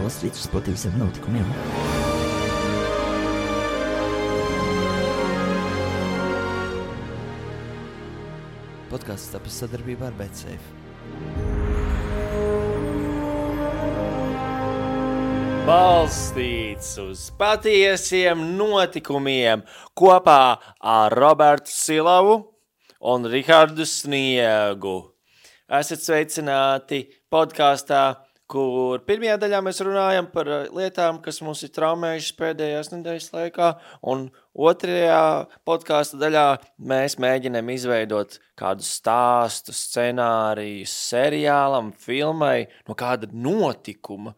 Wall Street uz patiesiem notikumiem. Podcasts tapis sadarbībā ar BetSafe. Balstīts uz patiesiem notikumiem kopā ar Robertu Silavu un Rihardu Sniegu. Esat sveicināti podkāstā, kur pirmajā daļā mēs runājam par lietām, kas mums ir traumējušas pēdējās nedēļas laikā, un otrajā podkāsta daļā mēs mēģinām izveidot kādu stāstu, scenāriju, seriālam, filmai, no kāda notikuma,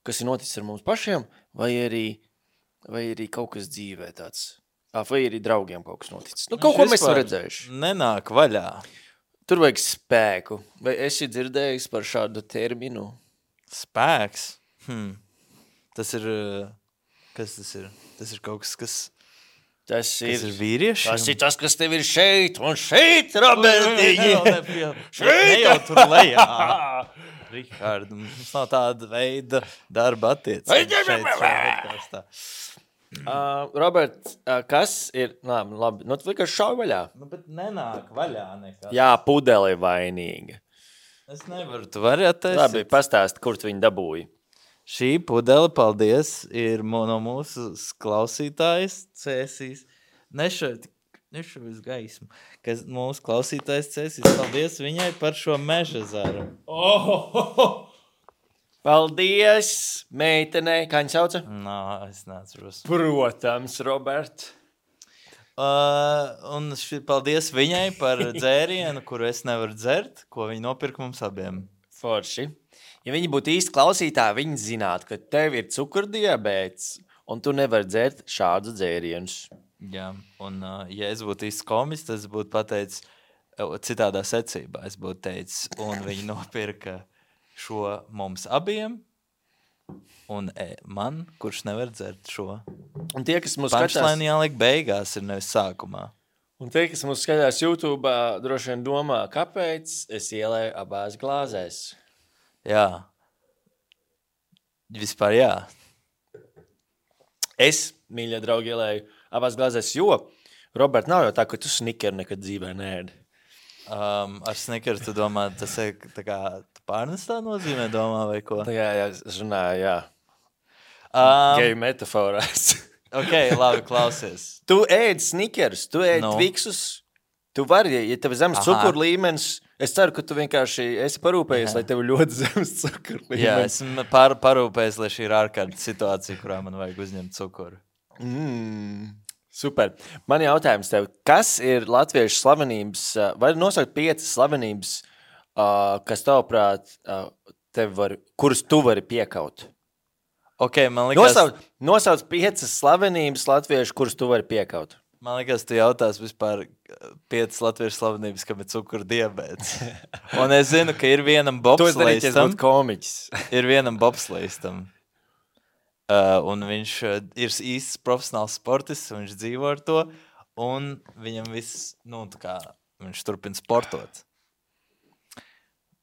kas ir noticis ar mums pašiem, vai arī kaut kas dzīvē tāds. Vai arī draugiem kaut kas noticis. Kaut ko mēs esam redzējuši. Nenāk vaļā. Tur vajag spēku. Vai esi dzirdējis par šādu terminu? Spēks? Tas ir... Kas tas ir? Tas ir kaut kas, kas ir vīriešiem? Tas ir tas, kas tev ir šeit un šeit, Robertiņi. Ne jau tur lejā. Rihard, mums nav tāda veida darba attiecības. Robert, kas ir... Labi, nu tu vienkārši šauj vaļā. Bet nenāk vaļā nekas. Jā, pudele vainīga. Es nevaru, tu vari attaisīt. Labi, pastāst, kur tu viņu dabūji. Šī pudele, paldies, ir no mūsu klausītājas Cēsīs. Nešu uz gaismu. Kas mūsu klausītājs Cēsīs, paldies viņai par šo meža zaru. Paldies, meitenei. Kā viņa sauca? Es neatceros. Protams, Robert. Un paldies viņai par dzērienu, kuru es nevaru dzert, ko viņa nopirka mums abiem. Forši. Ja viņi būtu īsti klausītāji, viņi zinātu, ka tev ir cukurdiabēts, un tu nevari dzert šādus dzērienus. Jā, un ja es būtu īsti komis, tad es būtu pateicis citādā secībā. Es būtu teicis, un viņi nopirka šo mums abiem, un man, kurš nevar dzert šo. Un tie, kas mūs skatās... Punchline jāliek beigās, ir nevis sākumā. Un tie, kas mūs skatās YouTube, droši vien domā, kāpēc es ielēju abās glāzēs. Jā. Vispār jā. Es, mīļie draugi, ielēju abās glāzēs, jo, Robert, nav jau tā, ka tu snickeru nekad dzīvē neēdi. Ar snickeru tu domā, tas ir tā kā pārnestā nozīmē domā vai ko? Jā, es runāju, jā. Geju metaforās. Ok, labi, klausies. Tu ēd snickerus, tu ēd Twixus. Tu vari, ja tev ir zemes cukuru līmenis, es ceru, ka tu vienkārši esi parūpējies, lai tev ļoti zemes cukuru līmenis. Jā, esmu parūpējies, lai šī ir ārkārtas situācija, kurā man vajag uzņemt cukuru. Super. Man jautājums tev, kas ir latviešu slavenības, vai nosaukt 5 slavenības, kas tavuprāt, kuras tu vari piekaut? Ok, man liekas... Nosauc 5 slavenības latviešu, kuras tu vari piekaut. Man liekas, tu jautās vispār 5 latviešu slavenības, kam ir cukuru diabēts. Un es zinu, ka ir vienam bobslejistam. Ir vienam bobslejistam. Un viņš ir īsts profesionāls sportists, un viņš dzīvo ar to, un viņam viss, viņš turpina sportot.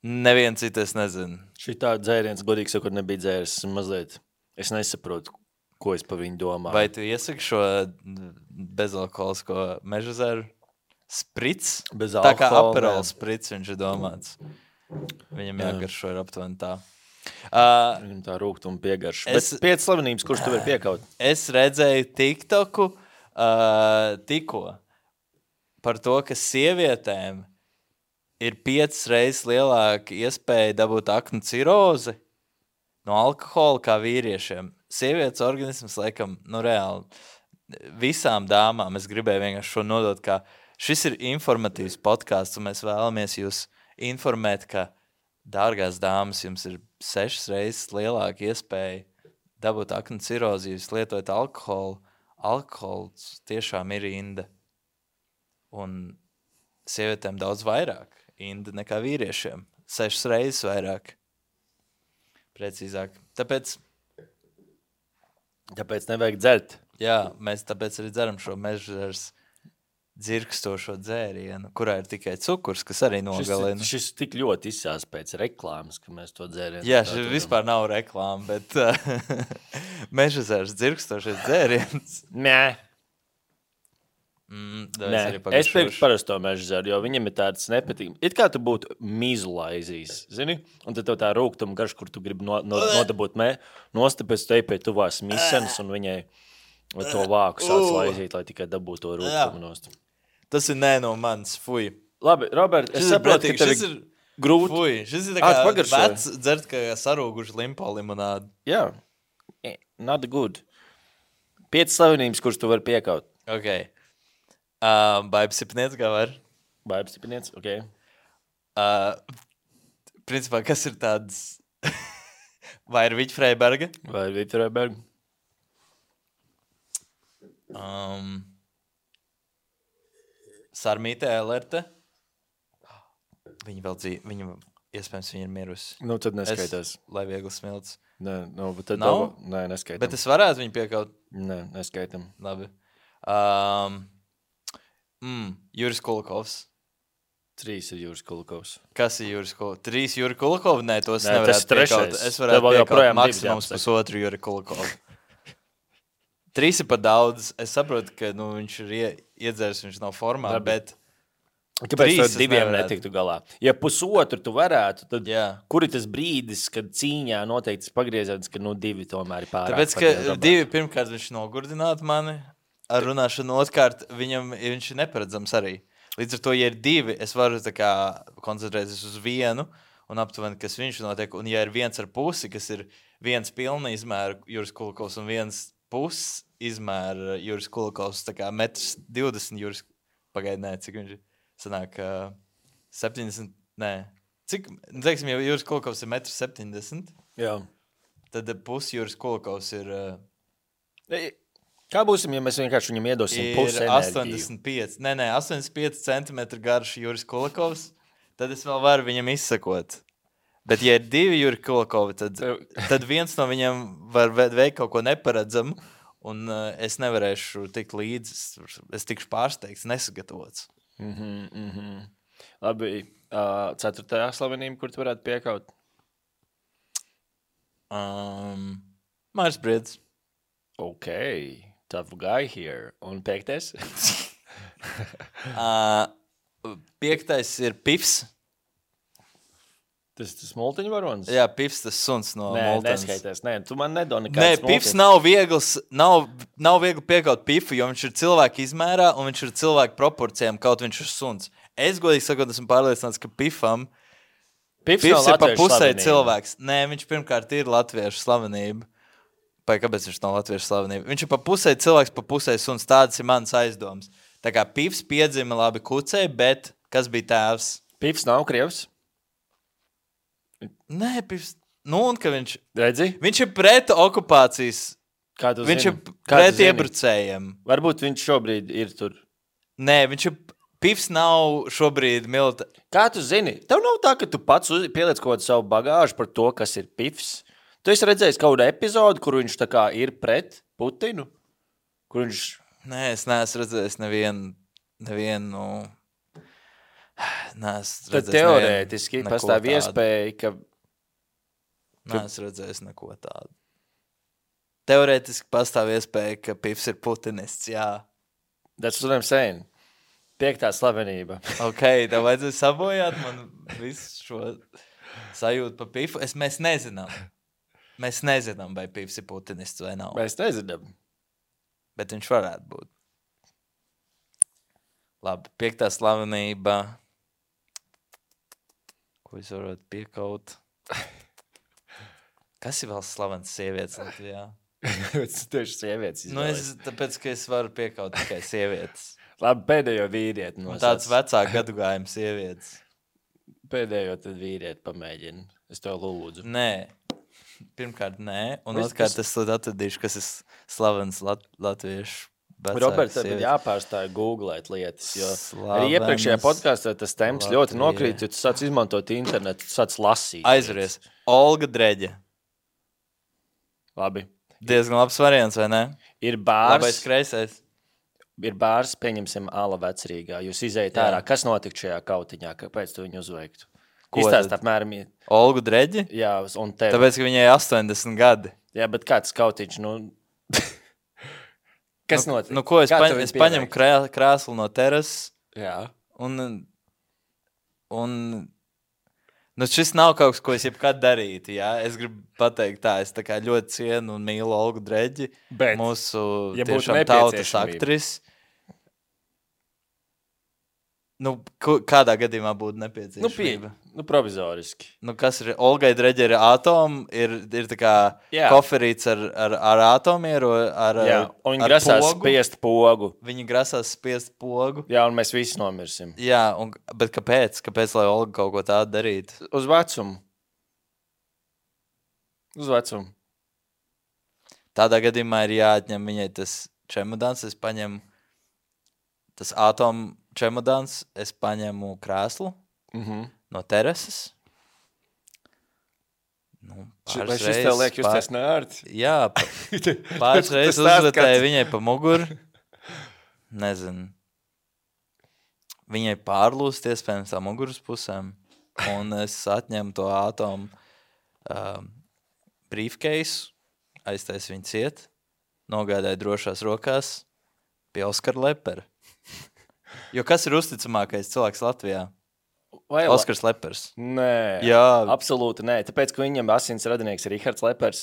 Neviens citas nezinu. Šī tā dzēriens, godīgi sakot, nebija dzēris mazliet. Es nesaprotu, ko es par viņu domāju. Vai tu iesaki šo bezalkoholisko meža zaru? Sprits? Tā kā Aperol sprits viņš ir domāts. Viņam jāgaršo ir aptuveni tā. Viņam tā rūgtuma piegarša. Bet 5 slavenības, kurš tu vari piekaut? Es redzēju TikToku tikko par to, ka sievietēm ir 5 reizes lielāka iespēja dabūt aknu cirozi no alkohola kā vīriešiem. Sievietes organisms, laikam, reāli visām dāmām es gribēju vienkārši šo nodot, ka šis ir informatīvs podcasts, un mēs vēlamies jūs informēt, ka, dārgās dāmas, jums ir 6 reizes lielāka iespēja dabūt aknu cirozi, jūs lietojat alkoholu. Alkohols tiešām ir inda. Un sievietēm daudz vairāk inda nekā vīriešiem. 6 reizes vairāk. Precīzāk. Tāpēc nevajag dzert. Jā, mēs tāpēc arī dzeram šo meža dzirkstošo dzērienu, kurā ir tikai cukurs, kas arī nogalina. Šis tik ļoti izsās pēc reklāmas, ka mēs to dzērienu. Jā, šis vispār nav reklāma, bet mežezērs dzirkstošais dzēriens. Nē. Nē, es pirktu parasto mežezēru, jo viņam ir tāds nepatīkams. It kā tu būtu mizulaizījis, zini? Un tad tev tā rūgtuma garš, kur tu gribi nodabūt nost, pēc te pie tuvās misenes, un viņai to vāku sāc laizīt, lai tikai dabūtu to rūgtumu nost. Tas ir nē no manis, fuj. Labi, Robert, es saprotu, ka tev ir grūti. Fuj, šis ir tā kā vecs dzert, kā sarūguši limpo limonādu. Jā, not good. 5 slavenības, kuras tu vari piekaut. Ok. Baibs Sipniec, kā var? Baibs Sipniec, ok. Principā, kas ir tāds... Vai ir Viķa Freiberga? Vai ir Viķa Freiberga? Sarmīte Elerte. Viņa vēl dzīve, iespējams, viņa ir mirusi. Nu, tad neskaitās. Lai viegli smilts. Nē, bet tad nav? Nē, neskaitam. Bet es varētu viņu piekaut? Nē, neskaitam. Labi. Juris Kulakovs. 3 ir Juris Kulakovs. Kas ir Juris Kulakovs? 3 Juri Kulakovi? Nē, tos Nē, nevarētu piekaut. Es varētu piekaut maksimums pusotru Juri Kulakovu. 3 ir pa daudz. Es saprotu, ka viņš ir iedzērs, viņš nav formā, bet... Kāpēc tu 2 netiktu galā? Ja pusotru tu varētu, tad kur ir tas brīdis, kad cīņā noteikti pagriezās, ka 2 tomēr ir pārāk? Tāpēc, ka 2 pirmkārt viņš nogurdinātu mani ar runāšanu, otrkārt viņš ir neparedzams arī. Līdz ar to, ja ir 2, es varu tā kā koncentrēties uz vienu un aptuveni, kas viņš notiek. Un ja ir 1,5, kas ir 1 pilna izmēra Juris Kulakovs un 1,5 izmēra Juris Kulakovs, tā kā 1,20 m Juris, pagaid, nē, cik viņš ir? Sanāk 70, nē. Cik, teiksim, ja Juris Kulakovs ir 1,70 m, jā. Tad pusi Juris Kulakovs ir... Kā būsim, ja mēs vienkārši viņam iedosim pusi enerģiju? 85 cm garš Juris Kulakovs, tad es vēl varu viņam izsakot. Bet ja ir 2 Juri Kulakovi, tad viens no viņiem var veikt kaut ko neparedzamu, un es nevarēšu tikt līdzi, es tikšu pārsteigts, nesagatavots. Labi, 4. slavenība, kur tu varētu piekaut? Māris Briedis. Ok, tough guy here. Un 5. 5. ir Pifs. Tas multiņu varonis? Jā, Pifs, tas suns no Multens. Neskaitās. Nē, tu man nedod nekāds multiņu. Nē, Pifs nav viegli piekaut Pifu, jo viņš ir cilvēku izmērā un viņš ir cilvēku proporcijām, kaut viņš ir suns. Es godīgi sakot, esmu pārliecināts, ka Pifam Pifs ir pa pusē cilvēks. Nē, viņš pirmkārt ir latviešu slavenība. Kāpēc viņš nav latviešu slavenība? Viņš ir pa pusē cilvēks, pa pusē suns. Tāds ir mans aizdoms. Tā kā Pifs piedzima labi kucei, bet kas bija tēvs? Pifs nav krievs? Nē, Pifs. Nu, un ka viņš... Redzi? Viņš ir pret okupācijas. Kā tu viņš zini? Ir pret iebrucējiem. Varbūt viņš šobrīd ir tur. Nē, viņš ir... Pifs nav šobrīd militāri. Kā tu zini? Tev nav tā, ka tu pats pieliec kaut kādu savu bagāžu par to, kas ir Pifs? Tu esi redzējis kaut kādu epizodu, kur viņš tā kā ir pret Putinu? Kur viņš... Nē, es neesmu redzējis nevienu... Tad teorētiski pastāv iespēja, ka... Neesmu redzējis neko tādu. Teorētiski pastāv iespēja, ka Pifs ir putinists, jā. That's what I'm saying. 5. slavenība. Ok, tev vajadzēja sabojāt man visu šo sajūtu pa Pifu. Mēs nezinām. Mēs nezinām, vai Pifs ir putinists vai nav. Mēs nezinām. Bet viņš varētu būt. Labi, 5. slavenība. Ko es varētu piekaut? Kas ir vēl slavens sievietes Latvijā? Tieši sievietes izvēlēs. Tāpēc, ka es varu piekaut tikai sievietes. Labi, pēdējo vīrieti nosauc. Tāds vecāk gadugājuma sievietes. Pēdējo tad vīrieti pamēģina. Es tev lūdzu. Nē. Pirmkārt, nē. Un otrkārt, es atradīšu, kas ir slavens latviešu vecāks. Robert, tad jāpārstāja googlēt lietas, jo arī iepriekšējā podkastā tas temps ļoti nokrīt, jo tu sāc izmantot internetu, tu sāc lasīt. Aizveries. Olga Dreģe. Labi. Diezgan labs variants, vai ne? Ir bārs. Labais kreisais. ir bārs, pieņemsim, Ala Vecrīgā. Jūs izējat ārā. Kas notika šajā kautiņā? Kāpēc tu viņu uzveiktu? Izstāst apmēram. Olgu Dreģi? Jā, un tev. Tāpēc, ka viņai 80 gadi. Jā, bet kāds kautiņš, Kas notika? Nu, ko es paņemu krēslu no terases. Jā. Un šis nav kaut kas, ko es jebkad darītu, jā. Es gribu pateikt tā, es tā kā ļoti cienu un mīlu Olgu Dreģi, Bet, mūsu ja tiešām tautas aktrisi. Kādā gadījumā būtu nepieciešamība? Provizoriski. Kas ir? Olgai Dreģi ir atomi, ir tā kā koferīts ar atomieru, Jā, un viņi grasās spiest pogu. Viņi grasās spiest pogu. Jā, un mēs visi nomirsim. Jā, bet kāpēc? Kāpēc, lai Olga kaut ko tādu darītu? Uz vecumu. Tādā gadījumā ir jāatņem viņai tas čemodāns, es paņemu tas atomu čemodāns, es paņemu krēslu no terases. Vai šis tev liek justies nērti? Jā, pāris reizes uzvetēju viņai pa muguru. Nezinu. Viņai pārlūst iespējams tā muguras pusēm. Un es atņemu to atomu briefcase, aiztaisu viņu ciet, nogādāju drošās rokās pie Oskara Lepera. Jo kas ir uzticamākais cilvēks Latvijā? Oskars Lepers. Nē, Jā. Absolūti nē. Tāpēc, ka viņam asins radinieks ir Rihards Lepers,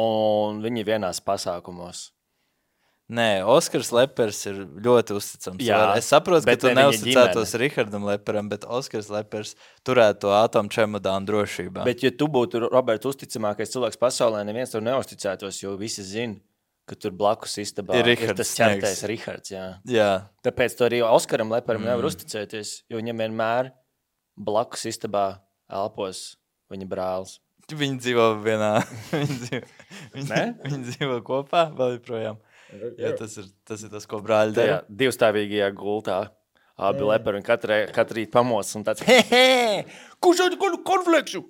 un viņi vienās pasākumos. Nē, Oskars Lepers ir ļoti uzticams. Jā, es saprotu, ka tu ne viņa neuzticētos Rihardam Leperam, bet Oskars Lepers turētu to atomu čemodānu drošībā. Bet, ja tu būtu, Robert, uzticamākais cilvēks pasaulē, neviens tev neuzticētos, jo visi zina, ka tur blakus istabā ir tas ķertais Rihards. Jā. Tāpēc tu arī Oskaram Leperam nevar uzticēties, jo viņam vienmēr blakus istabā elpos viņa brālis. Viņi dzīvo vienā. Viņi dzīvo kopā vēl joprojām. Jā, tas ir tas, ko brāļi dara. Divstāvīgajā gultā. Abi Leperi un katru rīt pamos un tāds kurš jau konflikšu?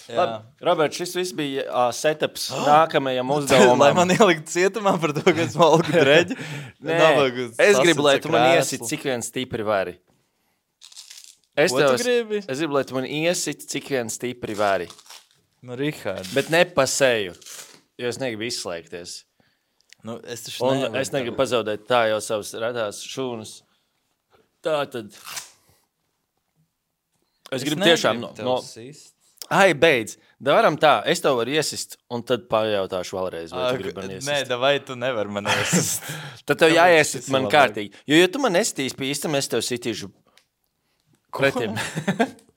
Labi, Robert, šis viss bija setups nākamajam uzdevumam. Lai man ielikt cietumā par to, ka esmu Olgu Dreģi? Nē, es gribu, lai tu man iesit, cik vien stipri vari. Ko tu gribi? Es gribu, lai tu man iesit, cik vien stipri vari. Richard. Bet ne pa seju, jo es negribu izslēgties. Es taču un es negribu pazaudēt tā jau savas redās šūnas. Tā tad. Es gribu tiešām Ai, beidz. Varam tā, es tev varu iesist, un tad pajautāšu vēlreiz, vai tu gribi man iesist. Nē, vai tu nevar man iesist. Tad tev jāiesit man kārtīgi. Jo, ja tu man nesitīs pie īstam, es tev sitīšu pretim.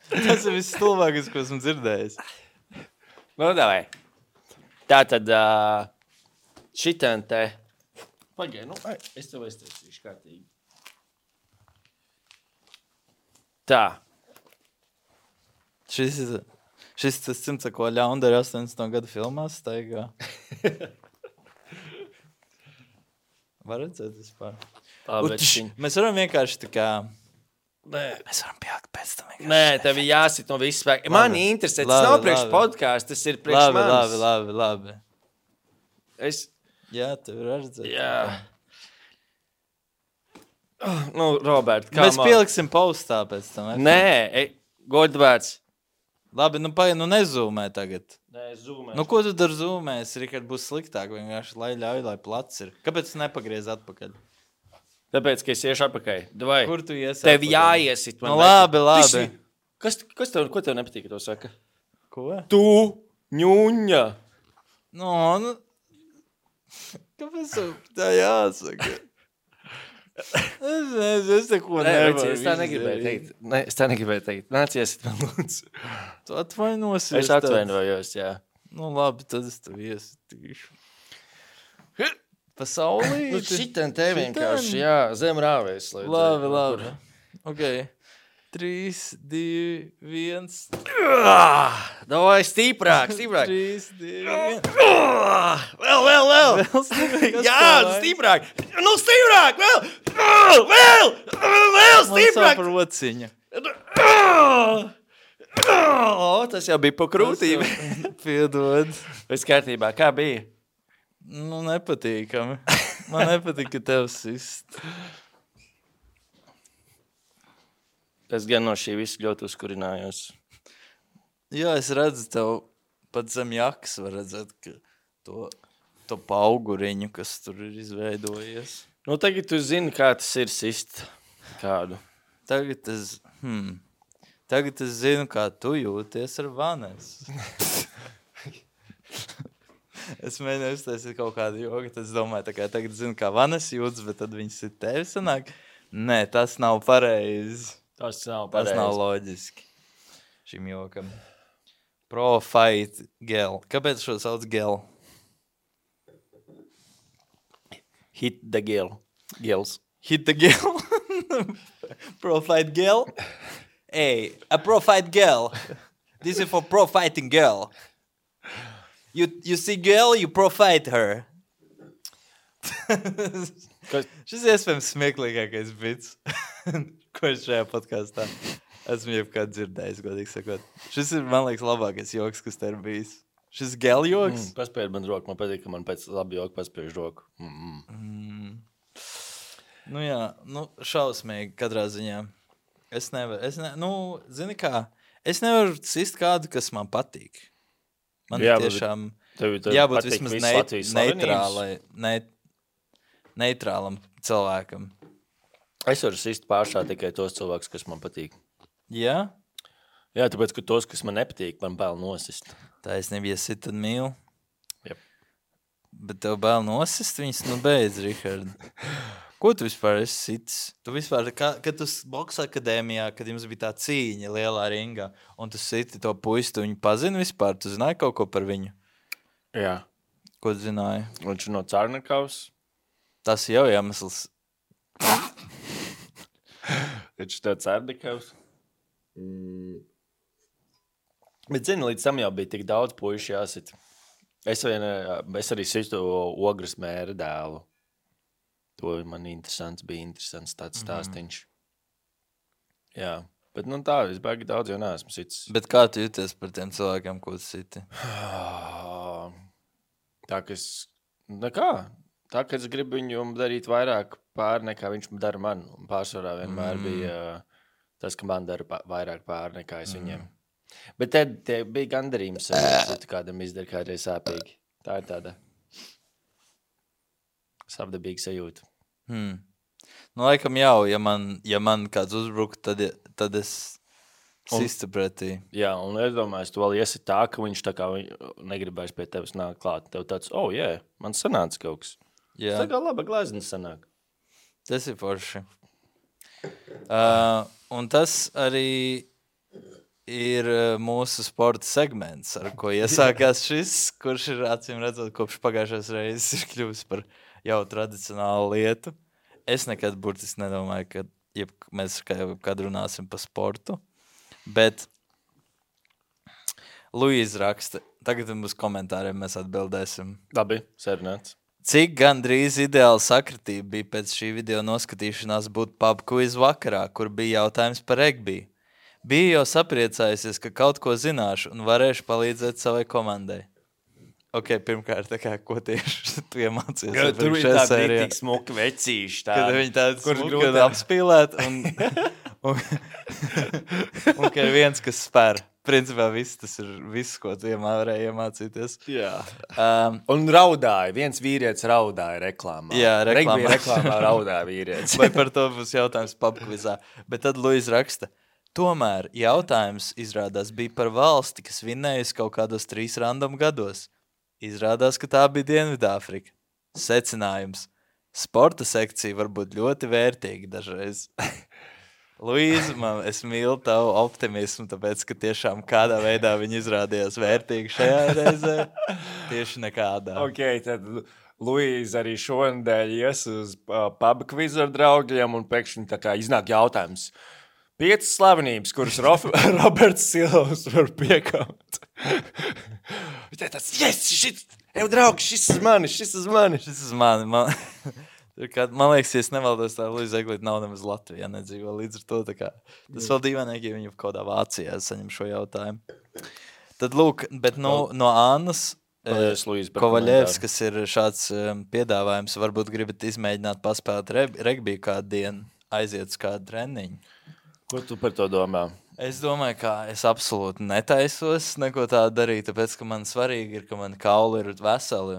Tas ir viss stulbākais, ko esmu dzirdējis. Davai. Tā tad šitien te. Pagai, es tev aiztaisīšu kārtīgi. Tā. Šis tas cimds, ko ļaundari 80. gadu filmās staigā. Var redzēt vispār. Mēs varam vienkārši tā kā... Nē. Mēs varam pielikt pēc tam vienkārši. Nē, tev ir jāsit no viss spēka. Mani interesē, tas nav priekš podcasts, tas ir priekš manis. Labi. Jā, tev ir redzēt. Jā. Robert, kā mēs pieliksim postā pēc tam. Nē, godvērts. Labi, nezūmē tagad. Nē, zūmē. Ko tu dar zūmēs? Rikard būs sliktāk, vienkārši, lai ļauj, lai plats ir. Kāpēc tu nepagriez atpakaļ? Tāpēc, ka es iešu atpakaļ. Vai? Kur tu iesi Tev atpakaļ? jāiesit. Labi. Ko tev nepatīk, to saka? Ko? Tu, ņuņa. Kāpēc tā jāsaka? Es neko nevaru. Es tā negribēju teikt. Nāc, iesit man lūdzu. Tu atvainosies. Es atvainojos, jā. Labi, tad es tev iesitīšu. Pasaulī. Šitien te vienkārši, jā, zem rāvēs. Labi. Ok. 3, 2, 1. Davai, stiprāk. 3, 2, 1. Vēl. Jā, stiprāk. Stiprāk, vēl, stiprāk. Man sāp rociņa. Tas jau bija pa krūtīm. Piedod. Viss kārtībā, kā bija? Nepatīkami. Man nepatīk, ka tev sist. Es gan no šī visu ļoti uzkurinājos. Jā, es redzu tev pat zem jakas var redzēt, ka to pauguriņu, kas tur ir izveidojies. Nu, tagad tu zini, kā tas ir sist kādu. Tagad es zinu, kā tu jūties ar Vanesu. Es mēģināju uztaisīt kaut kādu jogu, tad es domāju, tā kā tagad zinu, kā Vanesa jūtas, bet tad viņas ir tevi sanāk. Nē, tas nav pareizi. Tas nav Tas nav loģiski šim jokam. Pro-fight gel. Kāpēc šo sauc gel? Hit the gels. Hit the gel. Pro-fight gel. Hey, a pro-fight gel. This is for pro-fighting girl. You see girl, you pro-fight her. Šis iespējams smieklīgākais bits, ko es šajā podkastā esmu jebkad dzirdējis, godīgi sakot. Šis ir, man liekas, labākais joks, kas te ir bijis. Šis gel joks. Paspēj man roku, man patīk, ka man pēc labi joku paspēj roku. Nu jā, šausmīgi katrā ziņā. Es nevaru sist kādu, kas man patīk. Man tiešām jābūt vismaz neitrālam cilvēkam. Es varu sist pāršā tikai tos cilvēkus, kas man patīk. Jā? Jā, tāpēc, ka tos, kas man nepatīk, man bail nosist. Taisnība, ja sit, tad mīl. Jep. Bet tev bail nosist, viņas beidz, Rihard. Ko tu vispār esi sitis? Tu vispār, kad tu boksa akadēmijā, kad jums bija tā cīņa lielā ringā, un tu siti to puisi, tu viņu pazini vispār? Tu zināji kaut ko par viņu? Jā. Ko tu zināji? Viņš no Cārnakavas. Tas jau iemesls. Viņš no Cārnakavas. Bet zini, līdz tam jau bija tik daudz puiši jāsit. Es arī situ Ogras mēra dēlu. To man bija interesants tāds stāstiņš. Jā, bet tā, es baigi daudz jau neesmu sits. Bet kā tu jūties par tiem cilvēkiem, ko tu siti? Tā, ka es gribu viņu darīt vairāk pāri, nekā viņš dara man. Un pārsvarā vienmēr bija tas, ka man dara vairāk pāri, nekā es viņiem. Bet te bija gandarījums, kādam izdara kādreiz sāpīgi. Tā ir tāda savdabīga sajūta. Laikam jau, ja man kāds uzbruk, tad es sistu pretī. Jā, un es domāju, tu vēl iesi tā, ka viņš tā kā negribēs pie tevis nākt klāt. Tev tāds, man sanāca kaut kas. Jā. Tā kā laba glazniņa sanāk. Tas ir forši. Un tas arī ir mūsu sporta segments, ar ko iesākās šis, kurš ir acīm redzot, kopš pagājušās reizes ir kļuvis par jau tradicionālu lietu. Es nekad burtiski nedomāju, ka mēs kad runāsim par sportu, bet Luīza raksta, tagad mums komentāriem mēs atbildēsim. Labi, sērnēts. Cik gandrīz ideāla sakritība bija pēc šī video noskatīšanās būt pub quiz vakarā, kur bija jautājums par regbiju? Bija jau sapriecājusies, ka kaut ko zināšu un varēšu palīdzēt savai komandai. Ok, pirmkārt, ko tieši tu iemācies? Tur bija tādi tik smuki vecīši. Kad viņi tādi smuki un apspīlēt un ka ir viens, kas spēr. Principā tas ir viss, ko tu varēji iemācīties. Jā. Un raudāja. Viens vīrietis raudāja reklāmā. Jā, reklāmā raudāja vīrietis. Vai par to būs jautājums pubquizā. Bet tad Luīza raksta. Tomēr jautājums izrādās bija par valsti, kas vinnējusi kaut kādos 3 random gados. Izrādās, ka tā bija Dienvidāfrika. Secinājums. Sporta sekcija var būt ļoti vērtīga dažreiz. Luīza, es mīlu tavu optimismu, tāpēc, ka tiešām kādā veidā viņi izrādījās vērtīgi šajā reizē. Tieši nekādā. Ok, tad Luīza arī šonadēļ ies uz pub quiz ar draugiem un pēkšņi tā kā iznāk jautājums. 5 slavenības, kuras Roberts Silovs var piekaut. Viņš tā tāds, draugi, šis uz mani. Man liekas, ja es nevaldos, tā Luīza Eglīte nav nemaz Latvijā nedzīvo līdz ar to. Tas vēl dīvainīgi, ja viņa kaut kādā Vācijā saņem šo jautājumu. Tad lūk, bet no Annas Paldies, Luīz, par Kovaļevs, komentāru. kas ir šāds piedāvājums, varbūt gribat izmēģināt paspēlēt regbiju kādu dienu, aiziet uz kādu treniņu. Ko tu par to domā? Es domāju, ka es absolūti netaisos neko tādu darīt, tāpēc, ka man svarīgi ir, ka man kauli ir veseli.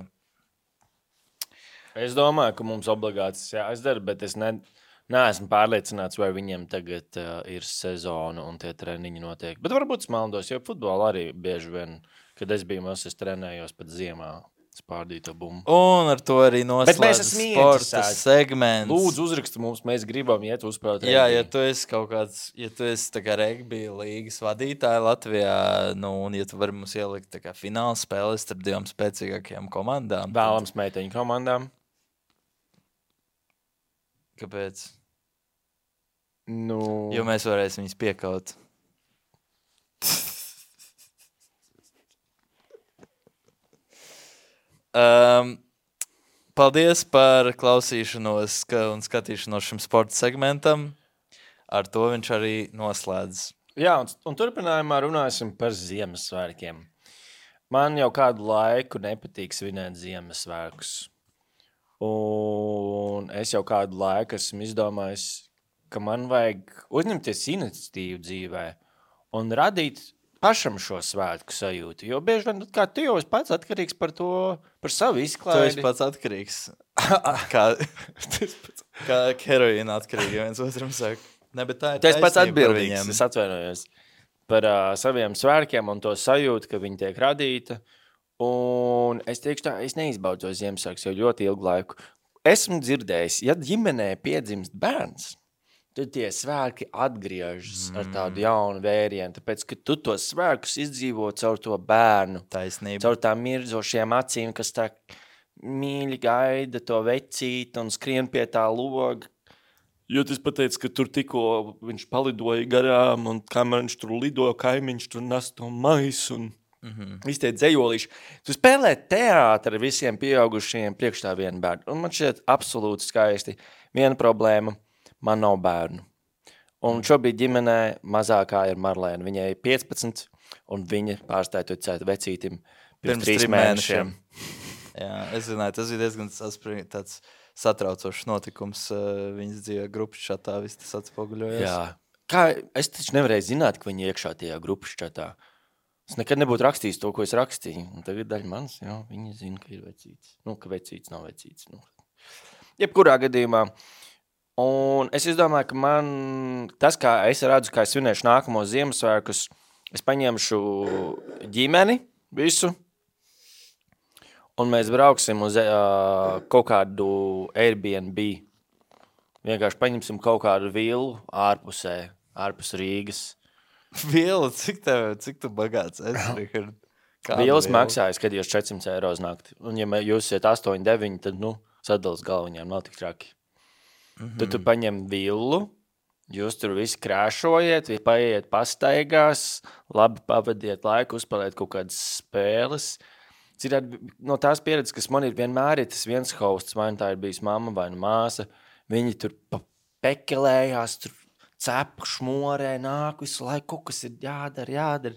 Es domāju, ka mums obligāti tas jāizdara, bet es neesmu pārliecināts, vai viņiem tagad ir sezona un tie treniņi notiek. Bet varbūt es maldos, jo futbolā arī bieži vien, kad es biju mazs, es trenējos pat ziemā spārdīto bumbu. Un ar to arī Bet mēs noslēdz esam sporta ieinteresēti. segments. Lūdzu, uzraksti mums, mēs gribam iet uzspēlēt Jā, ja regbiju. tu esi kaut kāds, ja tu esi tā kā regbija līgas vadītāja Latvijā, nu, un ja tu vari mums ielikt tā kā fināla spēles starp divām spēcīgākajām komandām. Vēlams meiteņu komandām. Kāpēc? Nu, Jo mēs varēsim viņus piekaut. Paldies par klausīšanos un skatīšanos šim sporta segmentam. Ar to viņš arī noslēdz. jā, un turpinājumā runāsim par Ziemassvētkiem. Man jau kādu laiku nepatīk svinēt Ziemassvētkus. Un es jau kādu laiku esmu izdomājis, ka man vajag uzņemties iniciatīvu dzīvē un radīt pašam šo svētku sajūtu. Jo bieži vien, kā tu jau esi pats atkarīgs par to, par savu Tu esi izklaidi. pats atkarīgs. Kā heroīna atkarīgi, ja viens otram saka. Ne, bet tā ir Tu esi pats taisnība par atbildīgs, viņiem. es atvainojos par saviem svētkiem un to sajūtu, ka viņi tiek radīta. Un es teikšu tā, es neizbaudu to Ziemassvētkus jau ļoti ilgu laiku. Esmu dzirdējis, ja ģimenē piedzimst bērns, tad tie svētki atgriežas ar tādu jaunu vērienu, tāpēc, ka tu tos svētkus izdzīvo caur to bērnu, Taisnība. caur tām mirzošajām acīm, kas tā mīļi gaida to vecīti un skrien pie tā loga. Jo tas pateica, ka tur tikko viņš palidoja garām, un kamēr viņš tur lidoja, kaimiņš tur nes to maisu, un visi tie dzejolīši. Tu spēlē teātri ar visiem pieaugušajiem priekš tā viena bērnu. Un man šķiet absolūti skaisti. Viena problēma, man nav bērnu. Un šobrīd ģimenē mazākā ir Marlēna. Viņai ir 15, un viņa pārstāja ticēt vecītim pirms 3 mēnešiem. Jā, es zināju, tas bija diezgan tāds satraucošs notikums viņas dzīvē grupas čatā, viss tas atspoguļojas. Jā. Kā, es taču nevarēju zināt, ka viņi iekšā tajā grupas čatā. Es nekad nebūtu rakstījis to, ko es rakstīju. Un tagad daļa manis, jā, viņi zina, ka ir vecīts. Nu, ka vecīts nav vecīts. Nu. Jebkurā gadījumā. Un es izdomāju, ka man tas, kā es redzu, kā es svinēšu nākamo Ziemassvētkus, es paņemšu ģimeni visu, un mēs brauksim uz kaut kādu Airbnb. Vienkārši paņemsim kaut kādu villu ārpusē, ārpus Rīgas. Viela, cik tu bagāts esi, Richard? Vielas maksāja, skatījos 400 eiro uz nakti. Un ja jūs esat 8, 9, tad, sadalas galviņām nav tik traki. Tad tu paņem villu, jūs tur visi krāšojiet, paiet pastaigās, labi pavadiet laiku, uzspēlēt kaut kādas spēles. Citādi, no tās pieredzes, kas man ir vienmēr ir tas viens hosts, vai tā ir bijis mamma vai māsa, viņi tur pekelējās, tur cepu šmorē, nāk visu laiku, kaut kas ir jādara.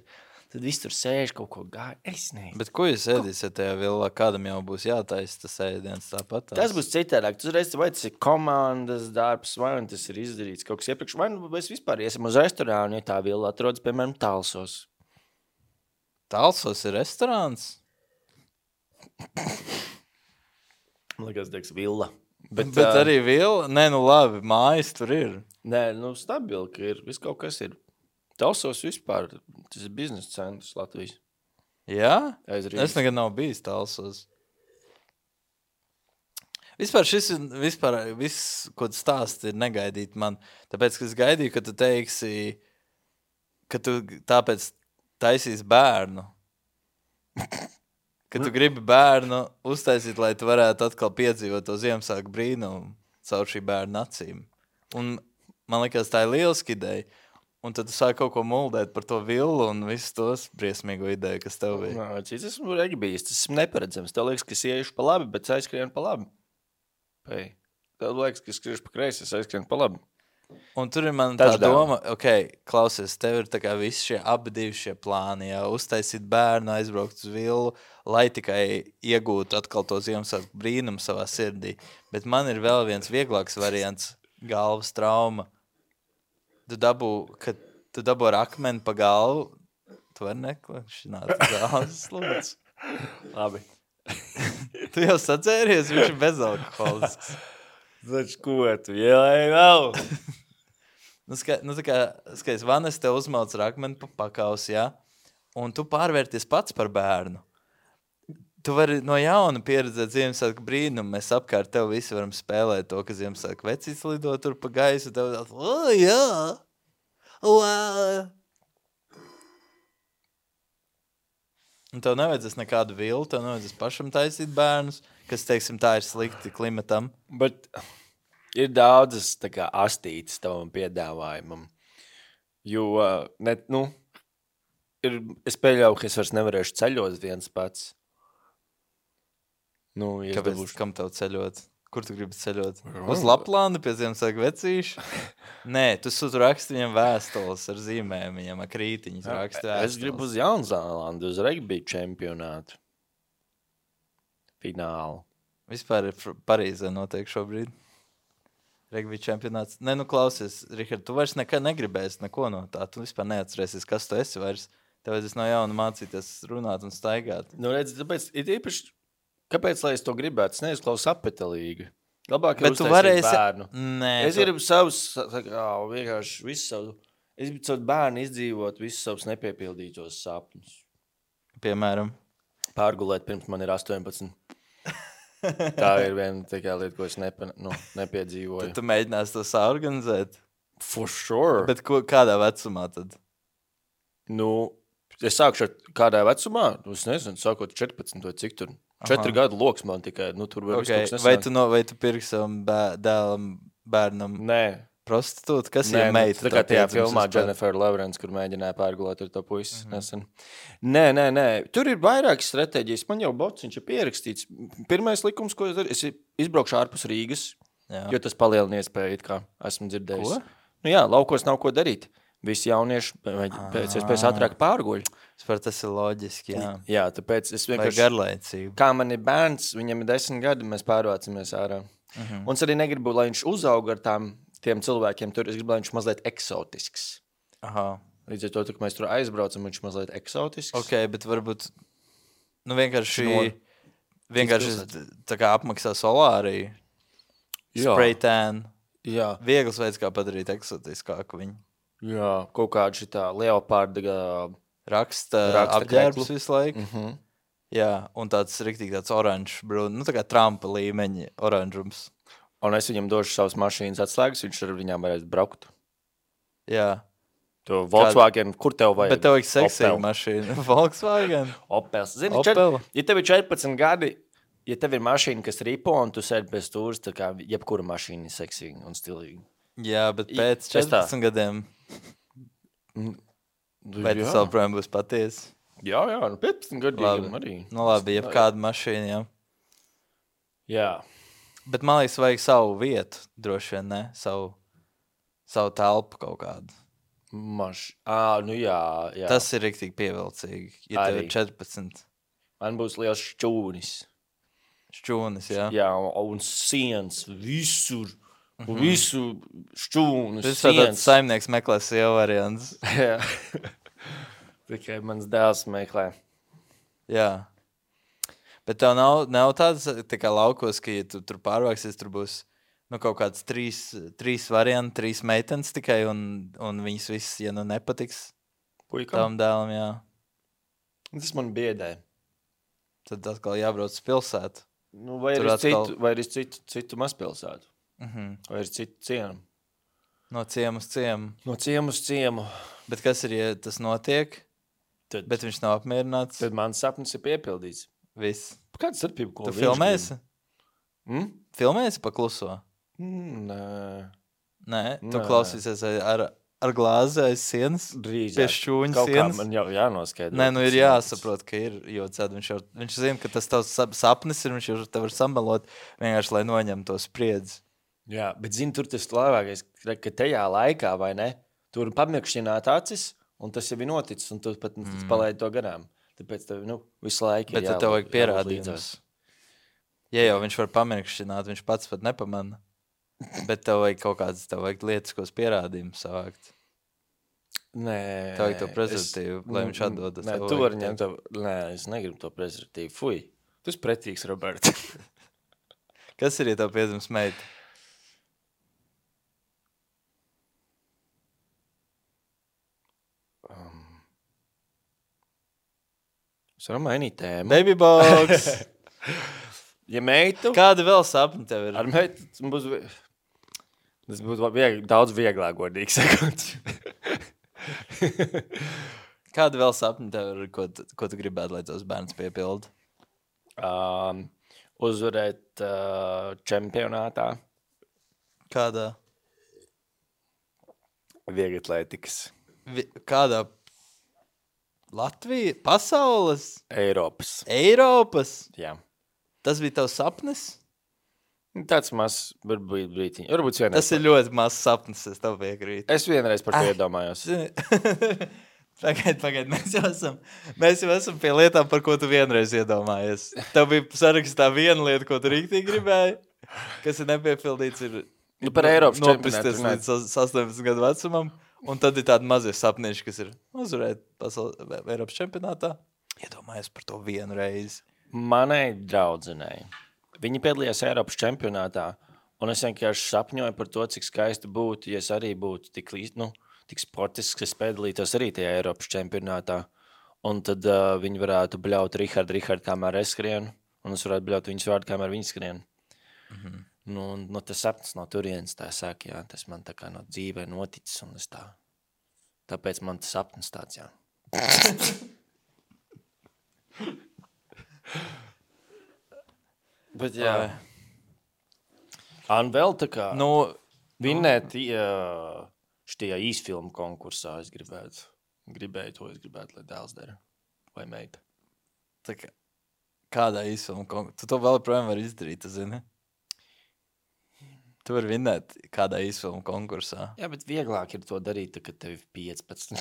Tad viss tur sēž, kaut ko gāja. Es nezinu. Bet ko jūs ēdīsiet tajā villā? Kādam jau būs jātaisa tas ēdiens tāpat? Tas būs citādāk. Tu reiz, vai tas ir komandas darbs, vai tas ir izdarīts kaut kas iepriekš, vai mēs vispār iesim uz restorānu, ja tā villa atrodas, piemēram, Talsos. Talsos ir restorāns? Man liekas, teiks villa. Bet arī villa? Nē, nu labi, mājas tur ir. Nē, stabili, ka ir. Viss kaut kas ir. Talsos vispār, tas ir biznesa centrs Latvijas. Jā? Aiz Rīgas. Es nekad nav bijis Talsos. Vispār šis ir, viss, ko tu stāsti, ir negaidīt man. Tāpēc, ka es gaidīju, ka tu teiksi, ka tu tāpēc taisīs bērnu. Ka tu gribi bērnu uztaisīt, lai tu varētu atkal piedzīvot to Ziemassvētku brīnumu caur šī bērna acīm. Un man liekas, tā ir lieliska ideja. Un tad tu sāki kaut ko muldēt par to villu un visu tos briesmīgo ideju, kas tev bija. Nā, es esmu regbijis, tas esmu neparedzams. Tev liekas, ka es iešu pa labi, bet es aizskrienu pa labi. Tev liekas, ka es skriešu pa kreisi, es aizskrienu pa labi. Un tur ir man tā Touchdown. doma, klausies, tev ir tā kā visi šie abi divi šie plāni, jā, uztaisīt bērnu, aizbraukt uz villu, lai tikai iegūtu atkal to Ziemassvētku brīnumu savā sirdī. Bet man ir vēl viens vieglāks variants - galvas trauma. Tu dabū ar akmeni pa galvu, tu vari neklašināt galvas slūdzu. Labi. Tu jau sacēries, viņš ir bezalkoholisks. Taču ko tu ielēji vēl? Tā kā, skaties, Vanes tev uzmauc ar akmeni pa pakausi, jā, un tu pārvērties pats par bērnu. Tu vari no jauna pieredzēt Ziemassvētku brīnumu, mēs apkārt tev visi varam spēlēt to, ka Ziemassvētku vecīts lido tur pa gaisu, tev jā, un tev nevajadzēs nekādu villu, tev nevajadzēs pašam taisīt bērnus, kas, teiksim, tā ir slikti klimatam. Bet ir daudzas tā kā astītes tavam piedāvājumam. Jo, es pieļauju, ka es vairs nevarēšu ceļot viens pats. Kāpēc, kam tev ceļot? Kur tu gribi ceļot? Uz Laplānu pie Ziemassvētku vecīšu? Nē, tu raksti viņam vēstules ar zīmēm, viņam ar krītiņas raksti vēstules. Es gribu uz Jaunzēlandu, uz regbija čempionātu. Finālu. Vispār ir Parīzē notiek šobrīd. Regbija čempionāts. Nē, klausies, Rihard, tu vairs nekad negribēsi neko no tā. Tu vispār neatcerēsies, kas tu esi vairs. Tev vajadzēs no jauna mācīties runāt un staigāt. Redz, tāpēc ir īpaši, kāpēc, lai es to gribētu? Es neizklausu apetelīgi. Labāk Bet ir tu uztaisīt varēsi... bērnu. Nē, Es gribu savus, vienkārši visu savu, es gribu savu bērnu izdzīvot visus savus nepiepildītos sapņus. Piemēram. Pārgulēt pirms man ir 18. Tā ir viena tikai lieta, ko es nepiedzīvoju. Tad tu mēģināsi to saorganizēt? For sure. Bet kādā vecumā tad? Es sākšu ar kādā vecumā, es nezinu, sākot 14 vai cik tur. 4 gadu loks man tikai, tur var visu kaut kas nesāk. Vai tu pirki savam dēlam, bērnam Nē. prostitūtu? Kas ir meita? Tā kā tajā filmā Jennifer Lawrence, kur mēģināja pārgulēt ar to puisi nesen. Nē. Tur ir vairākas stratēģijas. Man jau bociņš ir pierakstīts. Pirmais likums, ko es daru, es izbraukšu ārpus Rīgas, jo tas palielina iespēju, kā esmu dzirdējis. Ko? Laukos nav ko darīt. Visi jaunieši pēc iespējas ātrāk pārguļ. Tas ir loģiski, jā. Jā, tāpēc es Vai vienkārši... garlaicību. Kā man ir bērns, viņam ir 10 gadi, mēs pārvācamies ārā. Un es arī negribu, lai viņš uzauga ar tiem cilvēkiem tur. Es gribu, lai viņš mazliet eksotisks. Aha. Līdz ar to, ka mēs tur aizbraucam, viņš mazliet eksotisks. Ok, bet varbūt vienkārši tā kā apmaksā solāriju. Spray tan. Jā. Viegls veids, kā padarīt eksotiskāku viņu. Jā, kaut kāda šitā leopārda raksta apģērbs visu laiku. Jā, un tāds riktīgi tāds oranžs brūn, tā kā Trumpa līmeņa oranžums. Un es viņam došu savas mašīnas atslēgas, viņš ar viņām varēs braukt. Jā. To Volkswagen, kur tev vajag? Bet tev vajag seksīgu mašīnu. Volkswagen? Opels. Zini, Opel? Ja tev ir 14 gadi, ja tev ir mašīna, kas ripo, un tu sēdi bez stūras, tā kā jebkura mašīna ir seksīga un stilīga. Jā, bet pēc 14 gadiem... Vai tas vēl projām būs patiesi? Jā, 15 gadiem arī. Labi, jebkāda mašīna, jā. Jā. Bet man liekas, vajag savu vietu, droši vien, ne? Savu telpu kaut kādu. Jā. Tas ir riktīgi pievilcīgi, ja tev ir 14. Man būs liels šķūnis. Šķūnis, jā. Jā, un sienas visur. Visu šķūnu sienas. Tas tāds saimnieks meklē sievu variants. Jā. Tikai mans dēls meklē. Jā. Bet tev nav tāds tā kā laukos, ka ja tu tur pārvāksies, tur būs kaut kāds trīs varianti, 3 meitenes tikai, un viņas visas, ja nepatiks tavam dēlam, jā. Tas man biedē. Tad atkal jābrauc uz pilsētu. Vai arī citu mazpilsētu. Vai ir citu ciemu? No ciemu uz ciemu. No ciemu uz ciemu. Bet kas ir, ja tas notiek, bet viņš nav apmierināts? Tad mans sapnis ir piepildīts. Viss. Kāda starpība, ko tu filmēsi? Filmēsi pa kluso? Nē, tu klausīsies ar glāzi aiz sienas? Drīzāk. Pie šķūņa sienas? Man jau jānoskaidro. Nē, ir jāsaprot, ka ir, jo viņš zina, ka tas tavs sapnis ir, viņš jau tev var samalot, vienkārši, lai noņem to spriedzi. Jā, bet zini, tur tas labākais, ka tajā laikā, vai ne, tur pamirkšķināt acis, un tas jau ir noticis, un tu pat palaidi to garām. Tāpēc tev, visu laiku Bet ir tev vajag jābūt pierādījums. līdzās. Ja jau viņš var pamirkšķināt, viņš pats pat nepamana. Bet tev vajag kaut kādas lietiskos pierādījumus savākt. Nē. Tev vajag to prezervatīvu, lai viņš atdodas. Nē, tu vari ņemt to. Nē, es negribu to prezervatīvu. Fuj, tu esi pretīgs, Roberts. Kas ir, ja tev piedzims meita? Es varu mainīt tēmu. Babybox! Ja meitu, Kāda vēl sapņa tev ir? ar meitu tas būs daudz vieglāk, godīgi sakot. Kāda vēl sapņa tev ir, ko tu gribētu, lai tavs bērns piepilda? Uzvarēt čempionātā Kādā? vieglatlētikas Kādā? Latvija? Pasaules? Eiropas. Jā. Tas bija tavs sapnis? Tāds mazs, varbūt brītiņ. Varbūt vienreiz. Tas ir ļoti mazs sapnis, es tev piekrītu. Es vienreiz par to iedomājos. Pagaid, mēs jau esam pie lietām, par ko tu vienreiz iedomājies. Tev bija sarakstā viena lieta, ko tu rīktīgi gribēji, kas ir nepiepildīts, ir Par Eiropas nopisties čempionātu līdz 18 gadu vecumam, un tad ir tādi mazie sapnieši, kas ir uzvarēt Eiropas čempionātā. Iedomājies par to vienu reizi. Manai draudzenei. Viņa piedalījās Eiropas čempionātā, un es vienkārši sapņoju par to, cik skaisti būtu, ja es arī būtu tik sportisks, kas piedalītos arī tajā Eiropas čempionātā. Un tad viņi varētu bļaut Rihardu, kamēr es skrienu, un es varētu bļaut viņas vārdu, kamēr viņi skrien. Tas sapnis no turienes tā saka, jā, tas man tā kā no dzīvē noticis, un es tā. Tāpēc man tas sapnis tāds, jā. Bet jā. Un vēl tā kā vinnēt šitajā īsfilmu konkursā es gribēju, lai dēls dara. Vai meita. Kādā īsfilmu konkursā? Tu to vēl projām vari izdarīt, tu zini? Tu vari vinnēt kādā īsfilmu konkursā. Jā, bet vieglāk ir to darīt, kad tev ir 15.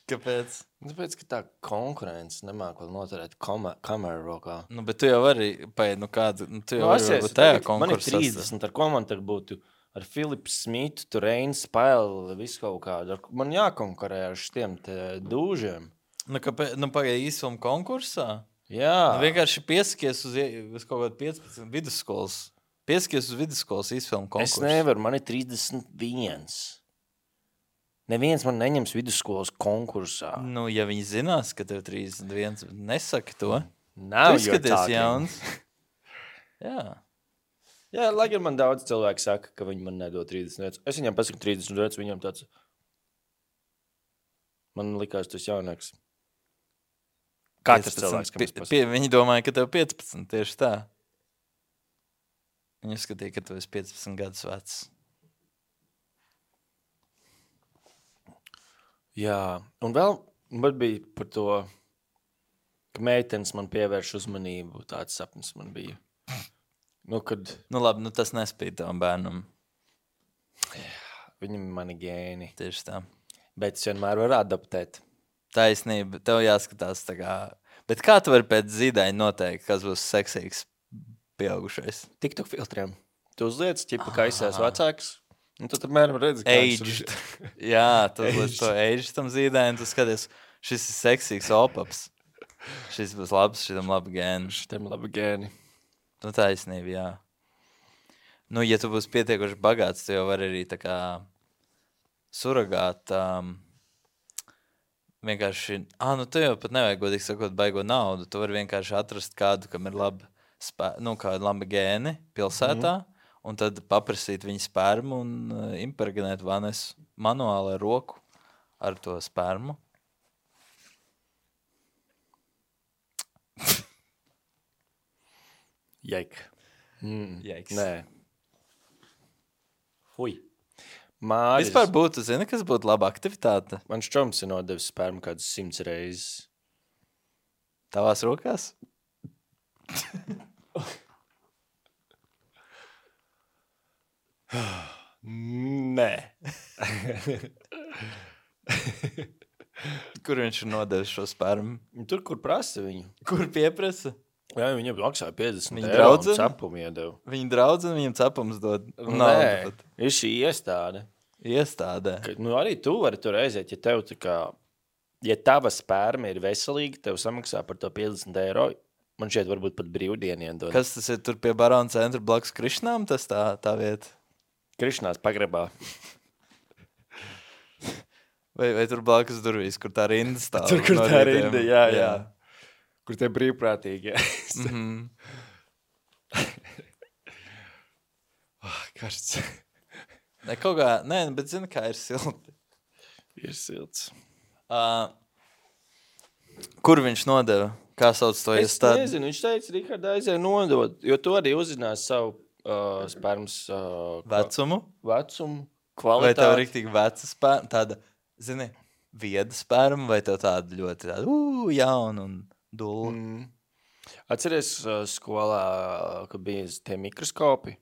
Kāpēc? Tāpēc, ka tā konkurence nemāk vēl noturēt kameru rokā. Bet tu jau vari, tu jau vari būt tajā konkursā. Man ir 30, ar ko man tagad būtu ar Filipu Smitu, Turēnu Spēli, visu kaut kādu. Man jākonkurē ar šitiem dūžiem. Pagaid īsfilmu konkursā? Jā. Vienkārši piesakies uz kaut kādu 15 vidusskolas. Piesakies uz vidusskolas īsfilmu konkursu. Es nevaru, man ir 31. Neviens man neņems vidusskolas konkursā. Ja viņi zinās, ka tev 31, nesaki to. Nav tu izskaties jauns. Jā. Jā, lai gan man daudz cilvēku saka, ka viņi man nedod 30. Es viņam pasaku 30, viņam tāds. Man likās tas jaunāks. Katrs cilvēks, kam es pasaku. Viņi domāja, ka tev 15, tieši tā. Viņi skatīja, ka tu esi 15 gadus vecs. Jā, un vēl man bija par to, ka meitenes man pievērš uzmanību. Tāds sapnis man bija. Labi, tas nespīd tavam bērnam. Viņam ir mani gēni. Tieši tā. Bet es vienmēr varu adaptēt. Taisnība, tev jāskatās tā kā. Bet kā tu vari pēc zīdaiņa noteikt, kas būs seksīgs pieaugušais? TikTok filtriem. Tu uzliec, ķipa, ka esi vecāks. Un tu apmēram redzi, kā aged. Jā, tu uzliec to aged tam zīdaiņam, tu skaties, šis ir seksīgs opaps. Šis būs labs, šitam labi gēni. Šitam labi gēni. Taisnība, jā. Ja tu būsi pietiekoši bagāts, tu jau vari arī tā kā suragāt vienkārši, tu jau pat nevajag godīgi sakot baigo naudu, tu vari vienkārši atrast kādu, kam ir kādu labi gēni pilsētā, un tad paprasīt viņa spermu un impregnēt vanes manuāli ar roku ar to spermu. Jaiks. Nē. Fui. Vispār būtu, zini, kas būtu laba aktivitāte? Man šķoms ir nodevis spermu kādus 100 reizes. Tavās rokās? Nē. Kur viņš ir nodevis šo spermu? Tur, kur prasa viņu. Kur pieprasa? Jā, viņam maksāja 50 Viņa eiro un draudzene? cepumu iedeva. Viņa draudzene viņam cepums dod. Nē, ir šī iestāde. Iestādē. Arī tu vari tur aiziet, ja tev tā kā, ja tava sperma ir veselīga, tev samaksā par to 50 eiro. Man šeit varbūt pat brīvdieniem dod. Kas tas ir tur pie Barona centra blakus Krišnām? Tas tā vieta. Krišnās pagrabā. Vai tur blakus durvīs, kur tā rinda stāv? Tur, kur no tā rītiem? rinda, jā. Kur te brīvprātīgi, jā. Karsts. Ne, kaut kā, nē, bet zini, kā ir silti. Ir silts. Kur viņš nodeva? Kā sauc to Es iestādi? nezinu, viņš teica, Rihards aizēja nodot, jo tu arī uzzinās savu spermas Vecumu? vecumu, Vai tev kvalitāti. riktīgi veca sperma? Tāda, zini, vieda sperma vai tev tāda ļoti tāda, jauna un dula? Atceries skolā, kad bija tie mikroskopi?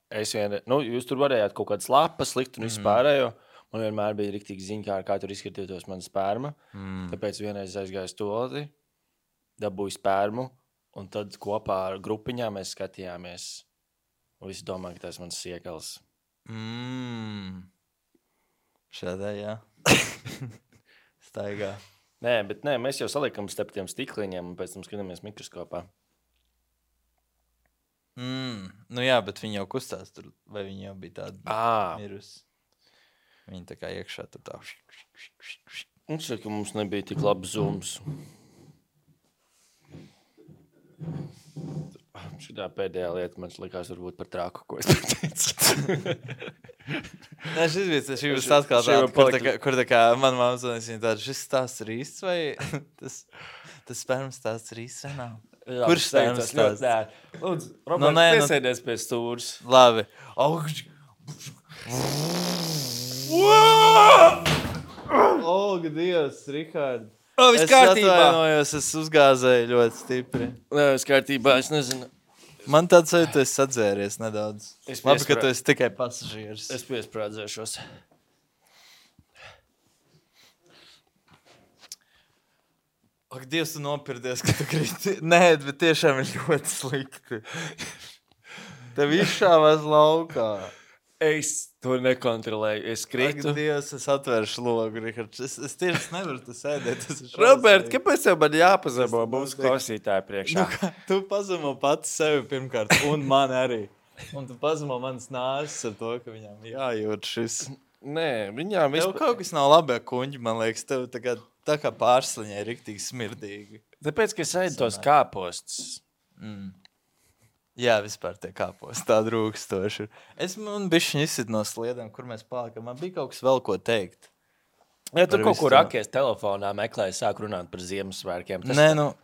Jūs tur varējāt kaut kādas lapas likt un vispārējo. Man vienmēr bija riktīgi ziņkāri, kā tur izskatītos mana sperma. Tāpēc vienreiz aizgāju stolti, dabūju spermu, un tad kopā ar grupiņām mēs skatījāmies. Un visi domā, ka tas ir mans siekals. Šādā, jā. Staigā. Nē, bet nē, mēs jau salikam starp tiem stikliņiem un pēc tam skatāmies mikroskopā. Nu jā, bet viņi jau kustās tur, vai viņi jau bija tādi mirusi? Viņi tā kā iekšā tur tā. Un šeit, ka mums nebija tik labs zooms. Šitā pēdējā lieta man likās varbūt par trāku, ko es teicu. Nē, šis bija atkal tāds, kur tā kā man mamma zonās, viņa tāda, šis stāsts ir īsts vai tas spermas stāsts ir īsts vai nav? Kurš spermas stāsts? Lūdzu, Roberts, piesēdies pie stūras. Labi. Olga, Dievs, Rihard. Viss kārtībā. Es atvainojos, es uzgāzēju ļoti stipri. Viss kārtībā, es nezinu. Man tāds sajūta, tu esi sadzēries nedaudz. Labi, ka tu esi tikai pasažieris. Es piesprādzēšos. Ak, Dievs, tu nopirdies, ka tu kriti. Nē, bet tiešām ir ļoti slikti. Tev izšāvās laukā. Es to nekontrolēju. Es kritu. Ak, Dievs, es atvēršu logu, Rihards. Es tieši nevaru tu sēdēt. Robert, kāpēc tev man jāpazemo mūsu klausītāju priekšā? Tu pazemo pats sevi pirmkārt, un man arī. Un tu pazemo manas nāsas ar to, ka viņām jājūt šis. Nē, viņām Tev kaut kas nav labi ar kuņģi, man liekas. Tev tā kā pārsliņai riktīgi smirdīgi. Tāpēc, ka es ēdu tos kāpostus. Jā, vispār tie kāpos, tāda rūkstoši. Man bišķiņ izsit no sliedēm, kur mēs pālikam. Man bija kaut kas vēl ko teikt. Ja tu kaut kur rakies telefonā meklēji, sāk runāt par Ziemassvētkiem. Nē, man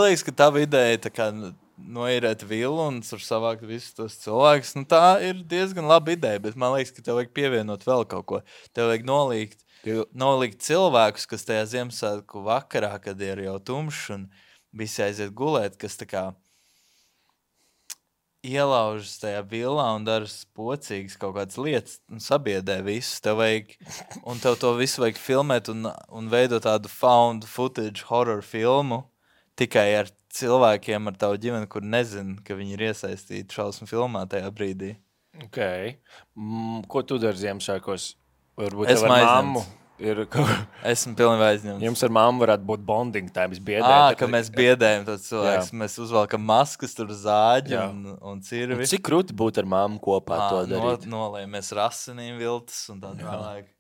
liekas, ka tava ideja tā kā noīrēt vilu un tur savākt visus tos cilvēkus. Tā ir diezgan laba ideja, bet man liekas, ka tev vajag pievienot vēl kaut ko. Tev vajag nolikt cilvēkus, kas tajā Ziemassvētku vakarā, kad ir jau tumšs un visi aiziet gulēt, kas tā kā ielaužas tajā vilā un dara pocīgas kaut kādas lietas un sabiedē visus. Tev to visu vajag filmēt un veidot tādu found footage horror filmu tikai ar cilvēkiem, ar tavu ģimeni, kur nezin, ka viņi ir iesaistīti šausmu filmā tajā brīdī. Ok. Ko tu dari Ziemassvētkos? Varbūt Esmu tev ar aizņemts. mammu? Esmu pilnībā aizņemts. Jums ar mammu varētu būt bonding time, biedēt. Ka mēs biedējam tos cilvēkus. Mēs uzvalkam maskas, tur zāģi un cirvi. Cik krūti būt ar mammu kopā to darīt? Nolējamies rasinīm viltas un tā tālāk.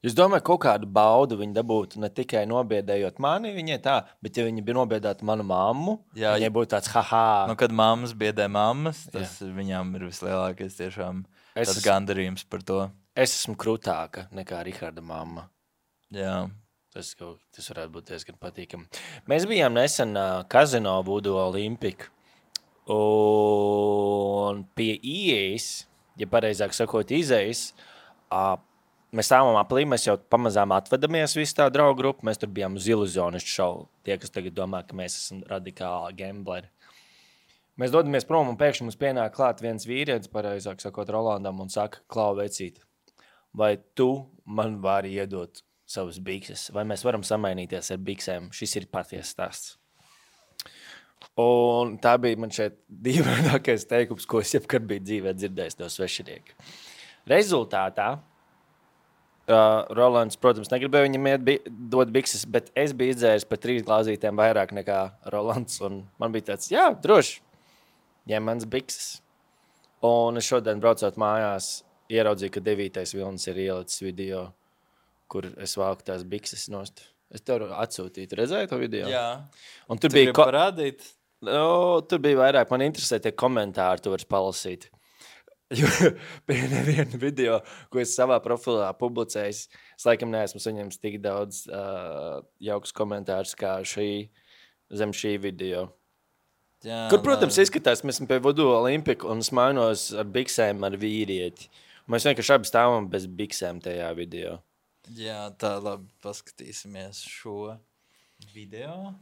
Es domāju, kaut kādu baudu viņi dabūtu ne tikai nobiedējot mani, viņai tā, bet ja viņi bija nobiedēti manu mammu, viņai būtu tāds haha. Kad mammas biedē mammas, tas viņām ir vislielākais tiešām tāds gandarījums par to. Es esmu krūtāka nekā Riharda mamma. Jā. Tas varētu būt diezgan patīkami. Mēs bijām nesen Kazino Voodoo Olympic. Un pie ieejas, ja pareizāk sakot, izejas, mēs stāvam aplī, mēs jau pamazām atvedamies visu tā draugu grupu. Mēs tur bijām uz iluzionistu šovu. Tie, kas tagad domā, ka mēs esam radikāli gambleri. Mēs dodamies prom un pēkšņi mums pienāk klāt viens vīrietis, pareizāk sakot, Rolandam un saka, Klau, vecīt, vai tu man vari iedot savas bikses, vai mēs varam samainīties ar biksēm? Šis ir patiesa stāsts. Un tā bija man šeit dīvainākais teikums, ko es jebkad biju dzīvē dzirdējis no svešinieka. Rezultātā Rolands, protams, negribēja viņam dot bikses, bet es biju izdzēris par 3 glāzītēm vairāk nekā Rolands. Un man bija tāds, jā, droši, ņem mans bikses. Un es šodien braucot mājās, ieraudzīju, ka 9. vilnis ir ielicis video, kur es valku tās bikses nost. Es tev atsūtītu, redzēju to video? Jā. Un tur Tu bija gribi parādīt? Tur bija vairāk, man interesē tie komentāri, tu vari palasīt. Jo bija neviena video, ko es savā profilā publicēju. Es laikam neesmu saņēmis tik daudz jaukus komentārus kā zem šī video. Jā, Kur, protams, izskatās, mēs esam pie Voodoo Olympika un es mainos ar biksēm ar vīrieti. Mēs vienkārši abi stāvam bez biksēm tajā video. Jā, tā labi, paskatīsimies šo video.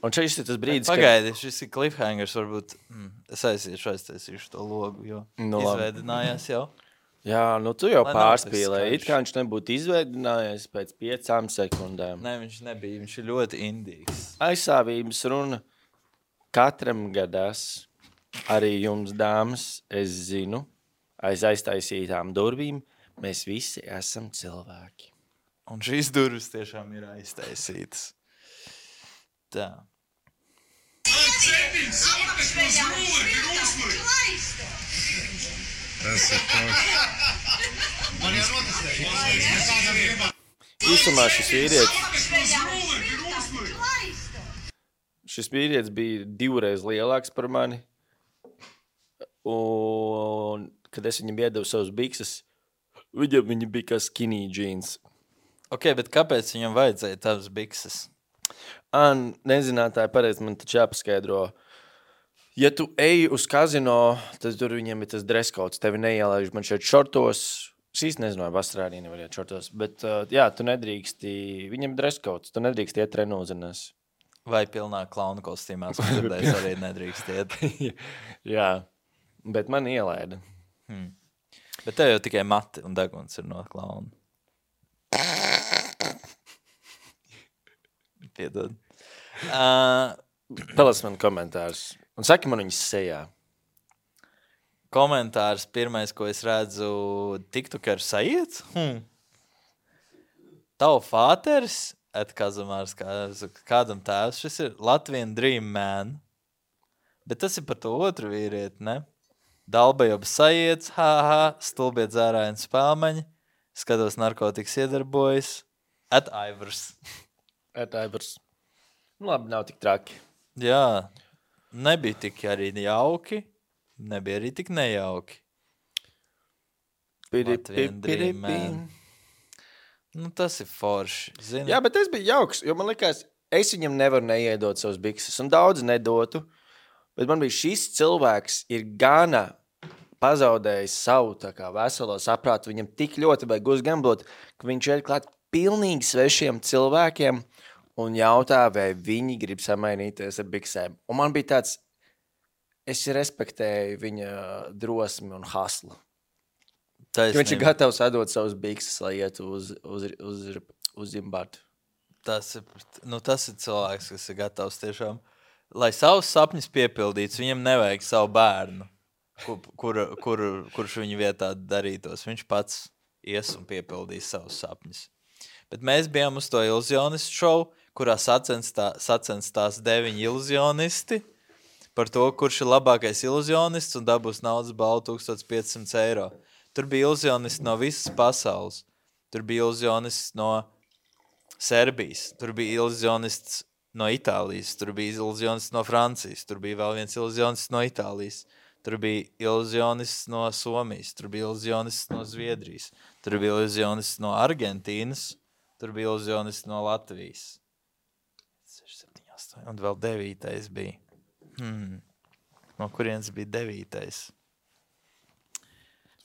Un šis ir tas brīdis, Pagaidi, šis ir cliffhangers, varbūt es aiztaisīšu to logu, jo izveidinājās jau. Jā, nu tu jau Lai nav pārspīlēji. tas It kā viņš nebūtu izveidinājies pēc 5 sekundēm. Nē, viņš nebija, viņš ir ļoti indīgs. Aizstāvības runa katram gadās, arī jums, dāmas, es zinu, aiz aiztaisītām durvīm, mēs visi esam cilvēki. Un šīs durvis tiešām ir aiztaisītas. Tā. Īsumā šis vīrietis bija 2 reizes lielāks par mani. Un, kad es viņam iedevu savus bikses, viņi bija kā skinny jeans. Ok, bet kāpēc viņam vajadzēja tavas bikses? Nezinātāji pareizi man taču jāpaskaidro. Ja tu ej uz kazino, tad tur viņiem ir tas dress codes. Tevi neielaiž man šeit šortos. Es īsti nezinu, vai Austrālija nevar iet šortos. Bet jā, tu nedrīksti. Viņam ir dress codes. Tu nedrīksti iet trenūzenēs. Vai pilnā klauna kostīmās, ko dzirdējis, arī nedrīkst iet. Jā, bet man ielaida. Bet tev jau tikai mati un deguns ir no klauna. Piedod. Palas man komentārus. Un saki man viņas sejā. Komentārs pirmais, ko es redzu, TikToker Sajiets. Tavu fāteris, Kazamārs, kādam tēvs, šis ir Latvian Dream Man. Bet tas ir par to otru vīrieti, ne? Dalbajobs Sajiets, stulbie dzērājieni spēlmeņi, skatos narkotikas iedarbojas. Ivers. Nu, labi, nav tik traki. Jā, nebija tik arī jauki, nebija arī tik nejauki. Latvian Dream Man. Nu, tas ir forši. Zini? Jā, bet es biju jauks, jo man likās, es viņam nevaru neiedot savus bikses, un daudz nedotu. Bet man bija šis cilvēks ir gana pazaudējis savu tā kā veselo saprātu. Viņam tik ļoti vajag uzgamblot, ka viņš ir klāt pilnīgi svešiem cilvēkiem un jautā, vai viņi grib samainīties ar biksēm. Un man bija tāds, es respektēju viņa drosmi un haslu. Viņš ir gatavs atdot savus bikses, lai ietu uz imbatu. Tas ir cilvēks, kas ir gatavs tiešām, lai savus sapņus piepildītu, viņam nevajag savu bērnu, kurš viņa vietā darītos. Viņš pats ies un piepildīs savus sapņus. Bet mēs bijām uz to iluzionistu šovu, kurā sacensties 9 iluzionisti par to, kurš ir labākais iluzionists un dabūs naudas balvu 1500 eiro. Tur bija iluzionisti no visas pasaules. Tur bija iluzionists no Serbijas. Tur bija iluzionists no Itālijas. Tur bija iluzionists no Francijas. Tur bija vēl viens iluzionists no Itālijas. Tur bija iluzionists no Somijas. Tur bija iluzionists no Zviedrijas. Tur bija iluzionists no Argentīnas. Tur bija iluzionists no Latvijas. 6, 7, 8. Un vēl 9. bija. No kurienes bija 9.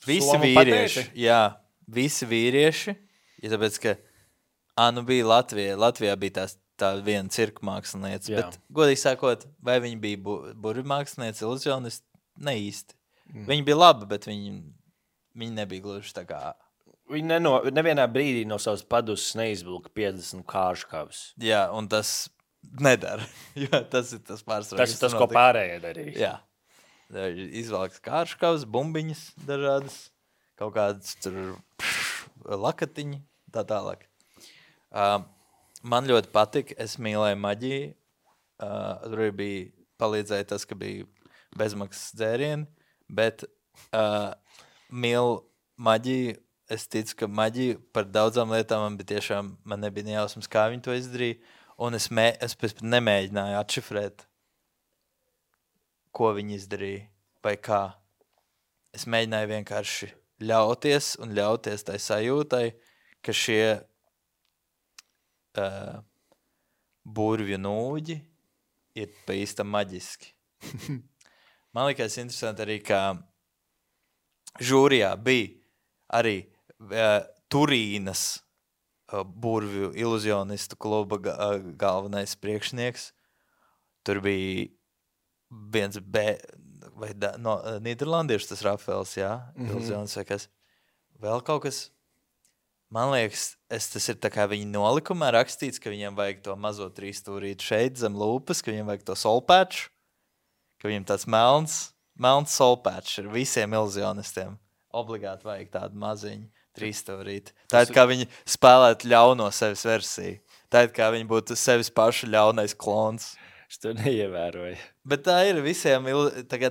Visi vīrieši. Jā, visi vīrieši. Ja tāpēc, ka bija Latvijā bija tā viena cirka mākslinieca. Jā. Bet, godīgi sakot, vai viņa bija burvju mākslinieca, iluzionisti? Ne īsti. Viņa bija laba, bet viņa nebija gluži tā kā... Viņa nevienā brīdī no savas paduses neizvilka 50 kārškavas. Jā, un tas nedara. Jo tas ir tas pārsvarā. Tas ir tas, ko pārējie darīs. Jā. Izvelks kārškavas, bumbiņas dažādas, kaut kādas tur lakatiņi, tā tālāk. Man ļoti patika, es mīlēju maģiju. Tur bija palīdzēja tas, ka bija bezmaksas dzērieni, bet mīlu maģiju. Es ticu, ka maģija par daudzām lietām man nebija nejausmas, kā viņi to izdarīja. Un es pēc nemēģināju atšifrēt, ko viņi izdarīja vai kā. Es mēģināju vienkārši ļauties tai sajūtai, ka šie burvju nūģi ir pa īstam maģiski. Man likās interesanti arī, ka žūrijā bija arī Turīnas burvju iluzionistu kluba galvenais priekšnieks. Tur bija viens no Nīderlandiešu tas Rafaels, jā, iluzionis vai kas. Vēl kaut kas, man liekas, tas ir tā kā viņa nolikumā rakstīts, ka viņam vajag to mazo 3 stūrīti šeit zem lūpas, ka viņam vajag to solpēču, ka viņam tāds melns solpēčs ir visiem iluzionistiem. Obligāti vajag tādu maziņu 3 stūrīti. Tā ir kā viņi spēlētu ļauno sevis versiju. Tā ir kā viņi būtu sevis pašu ļaunais klons. Es to neievēroju. Bet tā ir visiem,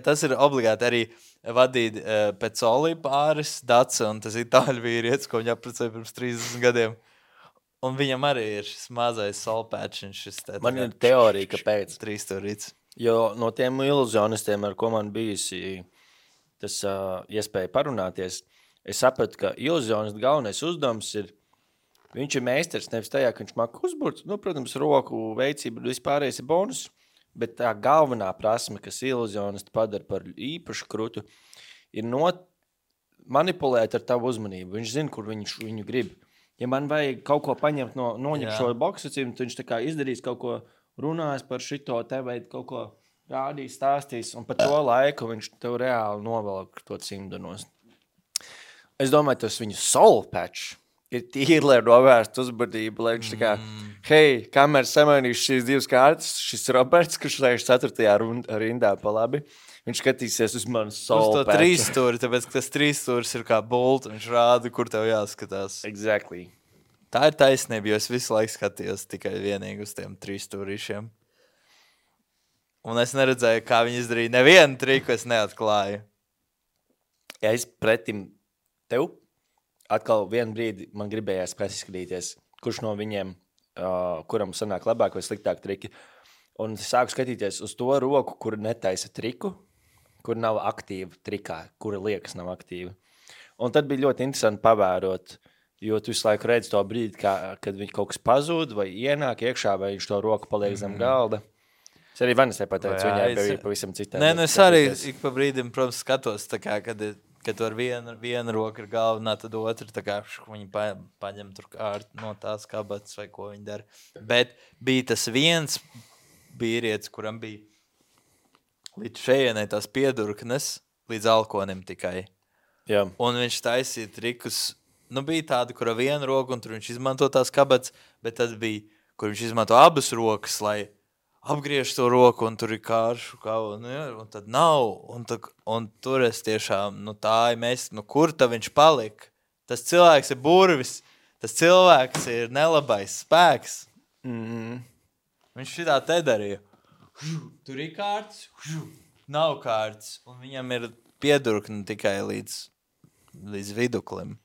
tas ir obligāti arī vadīt pēc Olī pāris Dace, un tas itāļu vīrietis, ko viņi apprecēja pirms 30 gadiem. Un viņam arī ir šis mazais solpēčiņš. Man ir teorija, kāpēc. 3 stūrīts. Jo no tiem iluzionistiem, ar ko man bijusi tas iespēja parunāties, es sapratu, ka iluzionista galvenais uzdevums ir, viņš ir meistars nevis tajā, ka viņš māk uzburt, protams, roku veicība vispārējais ir bonus, bet tā galvenā prasme, kas iluzionista padara par īpašu krutu, ir manipulēt ar tavu uzmanību. Viņš zina, kur viņu grib. Ja man vajag kaut ko paņemt noņemt šo boksacību, tad viņš tā kā izdarīs kaut ko, runās par šito te vai kaut ko rādīs, stāstīs, un pa to laiku viņš tev reāli novelk to cimdanos. Es domāju, tas viņu soul patch ir tīri, lai novērst uzbudību, lai viņš tā kā, hei, kamēr samainīšu šīs 2 kārtas, šis Roberts, kurš lēš 4. rindā pa labi, viņš skatīsies uz manu soul patch. Uz to 3 stūri, tāpēc, ka tas 3 stūris ir kā bult, viņš rāda, kur tev jāskatās. Exactly. Tā ir taisnība, jo es visu laiku skatījos tikai vienīgi uz tiem 3 stūrīšiem. Un es neredzēju, kā viņi izdarīja nevienu triku, es neatklāju. Ja es pretim tev, atkal vienu brīdi man gribējās paskatīties, kurš no viņiem, kuram sanāk labāk vai sliktāk triki. Un es sāku skatīties uz to roku, kur netaisa triku, kur nav aktīva trikā, kura liekas nav aktīva. Un tad bija ļoti interesanti pavērot, jo tu visu laiku redzi to brīdi, kad viņš kaut kas pazūd vai ienāk iekšā, vai viņš to roku paliek zem galda. Es arī Vanesai pateicu, viņai bija pavisam citā. Nē, es arī ik pa brīdim, protams, skatos, tā kā, kad ar viena roka ir galvenā, tad otra, tā kā viņi paņem tur no tās kabatas vai ko viņi dara. Bet bija tas viens vīrietis, kuram bija līdz šejienai tās piedurknes, līdz alkonim tikai. Jā. Un viņš taisīja trikus, bija tāda, kura viena roka, un tur viņš izmanto tās kabatas, bet tad bija, kur viņš izmanto abas rokas, lai apgriež to roku, un tur ir kāršu, un tad nav, un tur es tiešām, kur tad viņš palika? Tas cilvēks ir burvis, tas cilvēks ir nelabais spēks. Viņš šitā te darīja. Tur ir kārts, nav kārts, un viņam ir piedurkni tikai līdz viduklim,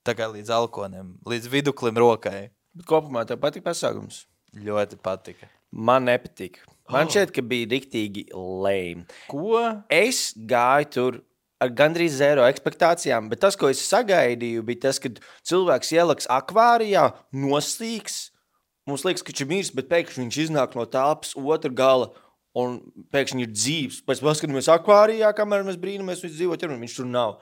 tā kā līdz alkonim, līdz viduklim rokai. Bet kopumā tev patika pasākums? Ļoti patika. Man nepatika. Man šķiet, ka bija riktīgi lame. Ko? Es gāju tur ar gandrīz 0 ekspektācijām, bet tas, ko es sagaidīju, bija tas, ka cilvēks ieliks akvārijā, noslīgs. Mums liekas, ka viņš ir mirs, bet pēkšņi viņš iznāk no telpas otra gala un pēkšņi ir dzīves. Pēc paskatāmies akvārijā, kamēr mēs brīnamies, viņš dzīvo ķermeni, viņš tur nav.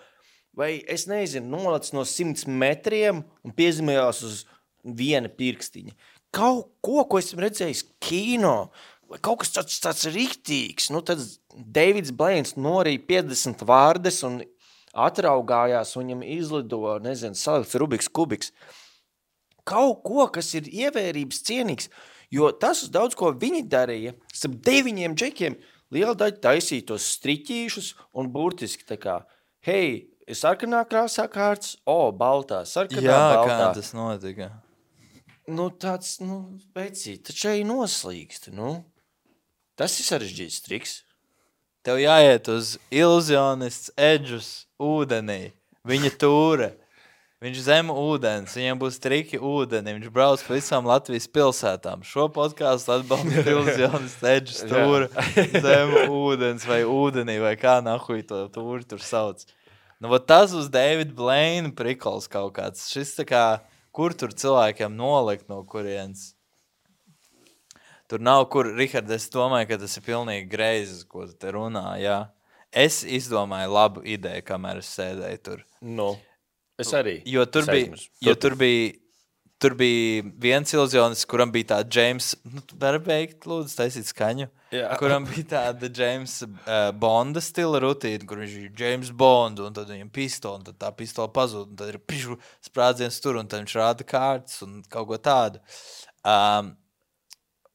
Vai es nezinu, nolacis no 100 metriem un piezīmējās uz viena pirkstiņa. kaut ko esmu redzējis kino, vai kaut kas tāds riktīgs. Nu, tad Deivids Blains norīja 50 vārdes un atraugājās, un viņam izlido, salikts Rubiks kubiks. Kaut ko, kas ir ievērības cienīgs, jo tas uz daudz ko viņi darīja, starp 9 džekiem, liela daļa taisīja tos striķīšus un burtiski tā kā, hei, ir sarkanā krāsā kārts, baltā, sarkanā, baltā. Jā, kā tas notika? Nu, tāds, veicīt, taču arī noslīgst, Tas ir sarežģīts triks. Tev jāiet uz iluzionists edžus ūdenī. Viņa tūra. Viņš zem ūdens. Viņam būs triki ūdeni. Viņš brauc pa visām Latvijas pilsētām. Šo podkāstu atbalsta iluzionists edžus tūra zem ūdens vai ūdenī vai kā nahuj to tūri tur sauc. Tas uz Davida Blaina prikols kaut kāds. Šis tā kā, kur tur cilvēkiem nolikt no kurienes. Tur nav kur, Rihard, es domāju, ka tas ir pilnīgi greizi, ko tu te runā, jā. Es izdomāju labu ideju, kamēr es sēdēju tur. Es arī. Jo tur bija viens iluzionists, kuram bija tāda James, var beigt, lūdzu, taisīt skaņu, kuram bija tāda James Bonda stila rutīna, kur viņš ir James Bond, un tad viņam pistola, un tad tā pistola pazūd, un tad ir sprādziens tur, un tad viņš rāda kārtas un kaut ko tādu.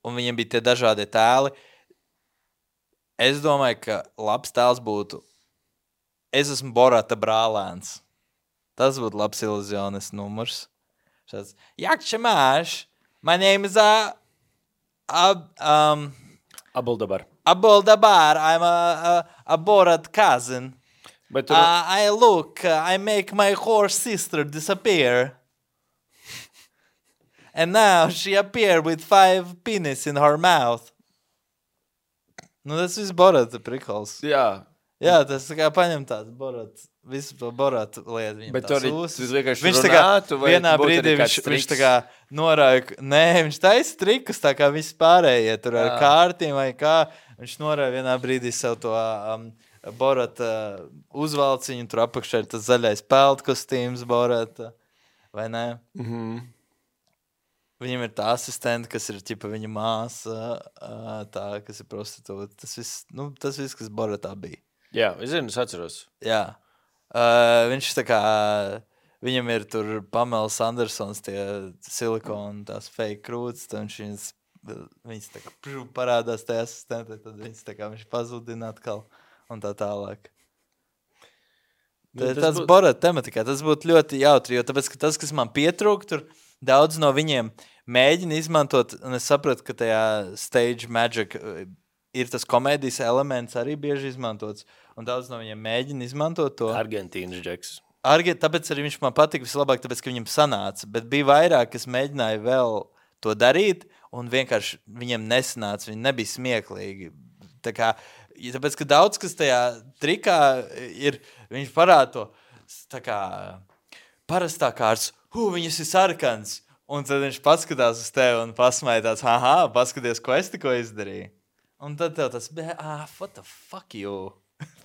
Un viņiem bija tie dažādie tēli. Es domāju, ka labs tēls būtu, es esmu Borata brālēns. Tas būtu labs iluzionis numurs. Šāds, Jakšamāš, my name is Abuldabar. I'm a Borat cousin. I make my horse sister disappear. And now she appeared with 5 penis in her mouth. Tas viss Borata prikols. Jā. Jā, tas tā kā paņem tāds Borata, visu to Borata lietu. Bet tur vienkārši viņš runātu, vai vienā brīdī viņš tā kā norāja, viņš taisa trikus, tā kā visi pārējie tur ar kārtīm vai kā. Viņš norāja vienā brīdī sev to Borata uzvalciņu, tur apakšā ir tas zaļais peltkostīms Borata, vai ne? Viņam ir tā asistente, kas ir ķipa viņa māsa, tā, kas ir prostitūta. Tas viss, kas Boratā bija. Jā, es zinu, es atceros. Jā. Viņš tā kā, viņam ir tur Pamelas Andersons, tie silikoni, tās fake krūts, tad viņas tā kā parādās tajā asistentē, tad viņas tā kā viņš pazudina atkal un tā tālāk. Tas Borata tematikā, tas būtu ļoti jautri, jo tāpēc, ka tas, kas man pietrūk, tur daudz no viņiem mēģina izmantot, un es sapratu, ka tajā stage magic ir tas komēdijas elements arī bieži izmantots, un daudz no viņiem mēģina izmantot to. Argentīnas džeks. Tāpēc arī viņš man patika vislabāk, tāpēc, ka viņam sanāca, bet bija vairāk, kas mēģināja vēl to darīt, un vienkārši viņiem nesanāca, viņi nebija smieklīgi. Tāpēc, ka daudz, kas tajā trikā ir, viņš parāda to, tā kā parastā kārts, viņas ir sarkans, un tad viņš paskatās uz tevi un pasmēja tāds, paskaties, ko es tikko izdarīju. Un tad tev tas, what the fuck you?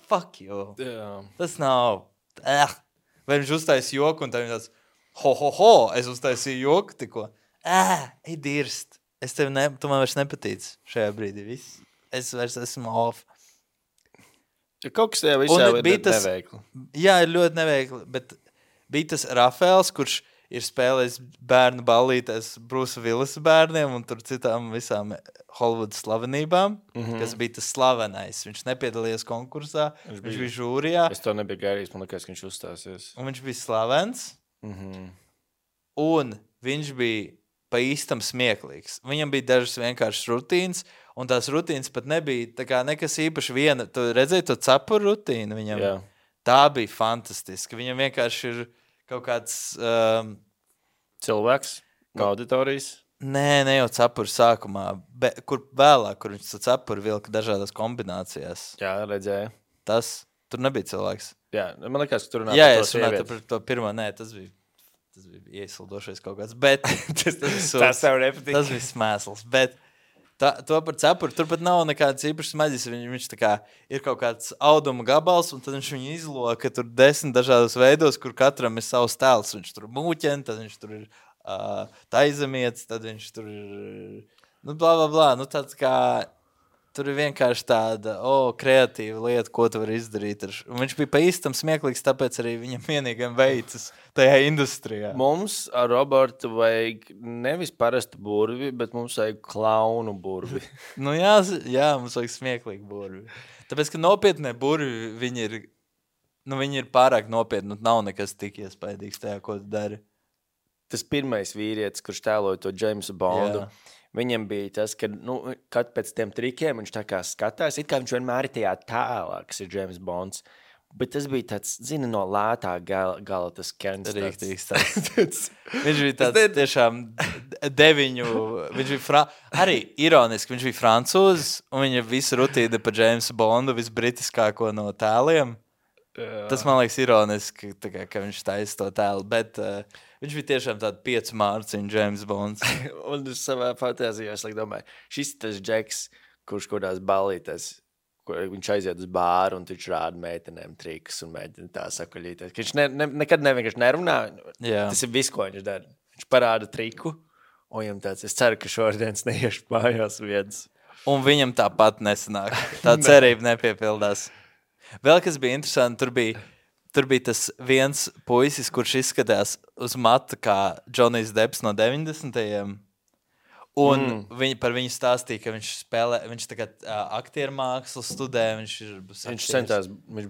Fuck you. Yeah. Tas nav, vai viņš uztais joku, un tad viņš tāds, es uztaisīju joku tikko. Ej dirst, tu man vairs nepatīc šajā brīdī, viss. Es vairs esmu off. Kaut kas tajā visā ir neveikli. Jā, ir ļoti neveikli, bet bija tas Rafaels, kurš ir spēlējis bērnu ballītēs Brusa Willisa bērniem un tur citām visām Hollywoodas slavenībām, kas bija tas slavenais. Viņš nepiedalījās konkursā, viņš bija žūrijā. Es to nebiju gaidījis, man liekas, ka viņš uzstāsies. Un viņš bija slavens, un viņš bija pa īstam smieklīgs. Viņam bija dažas vienkāršas rutīnas, un tās rutīnas pat nebija tā kā nekas īpaši viena. Tu redzēji to cepuru rutīnu viņam? Jā. Tā bija fantastiska. Viņam vienkārši ir kaut kāds... cilvēks no auditorijas? Nē, ne jau cepuru sākumā, kur vēlāk, kur viņš to cepuru vilka dažādās kombinācijās. Jā, redzēju. Tur nebija cilvēks. Jā, man liekas, ka tur runā par to sievieti. Jā, par to pirmo, nē, tas bija iesildošais kaut kāds, bet tas tev nepatīk. Tas bija smēsls, bet to par cepuru, tur pat nav nekāds īpašs maģis, viņš tā kā ir kaut kāds auduma gabals, un tad viņš viņu izloka tur 10 dažādos veidos, kur katram ir savs tēls, viņš tur mūķen, tad viņš tur ir taizemietis, tad viņš tur ir, nu, blā, nu, tāds kā, tur ir vienkārši tāda, kreatīva lieta, ko tu vari izdarīt. Un viņš bija pa īstam smieklīgs, tāpēc arī viņam vienīgam veicas tajā industrijā. Mums ar Robertu vajag nevis parastu burvi, bet mums vajag klaunu burvi. Nu jā, mums vajag smieklīgi burvi. Tāpēc, ka nopietnie burvi, viņi ir pārāk nopietni, nu nav nekas tik iespaidīgs tajā, ko tu dari. Tas pirmais vīrietis, kurš tēloja to Jamesu Bondu, viņam bija tas, ka, kad pēc tiem trikiem viņš tā kā skatās, it kā viņš vienmēr ir tajā tēlā, kas ir James Bonds, bet tas bija tāds, no lētā gala tas Kents. Rīktīgs tāds. Viņš bija tāds tiešām 9, viņš bija arī ironiski, viņš bija francūzis, un viņa visu rutīda par Jamesu Bondu, visbritiskāko no tēliem. Tas man liekas ironiski, ka viņš taisa to tēlu, bet viņš bija tiešām tāda 5 mārciņu James Bonds. Un es savā fantāzijā domāju, šis tas džeks, kurš kodās ballītēs, viņš aiziet uz bāru un viņš rāda meitenēm trikus un mēģina tā sakaļīties. Viņš nekad nevienkārši nerunā. Jā. Tas ir viss, ko viņš dara. Viņš parāda triku, un viņam tāds, es ceru, ka šodienas neiešu mājās viens. Un viņam tāpat nesanāk. Tā cerība nepiepildās. Vēl kas bija interesanti, tur bija tas viens puisis, kurš izskatās uz matu kā Džonijs Depps no 90. Un par viņu stāstīja, ka viņš tagad aktieru mākslu studē, viņš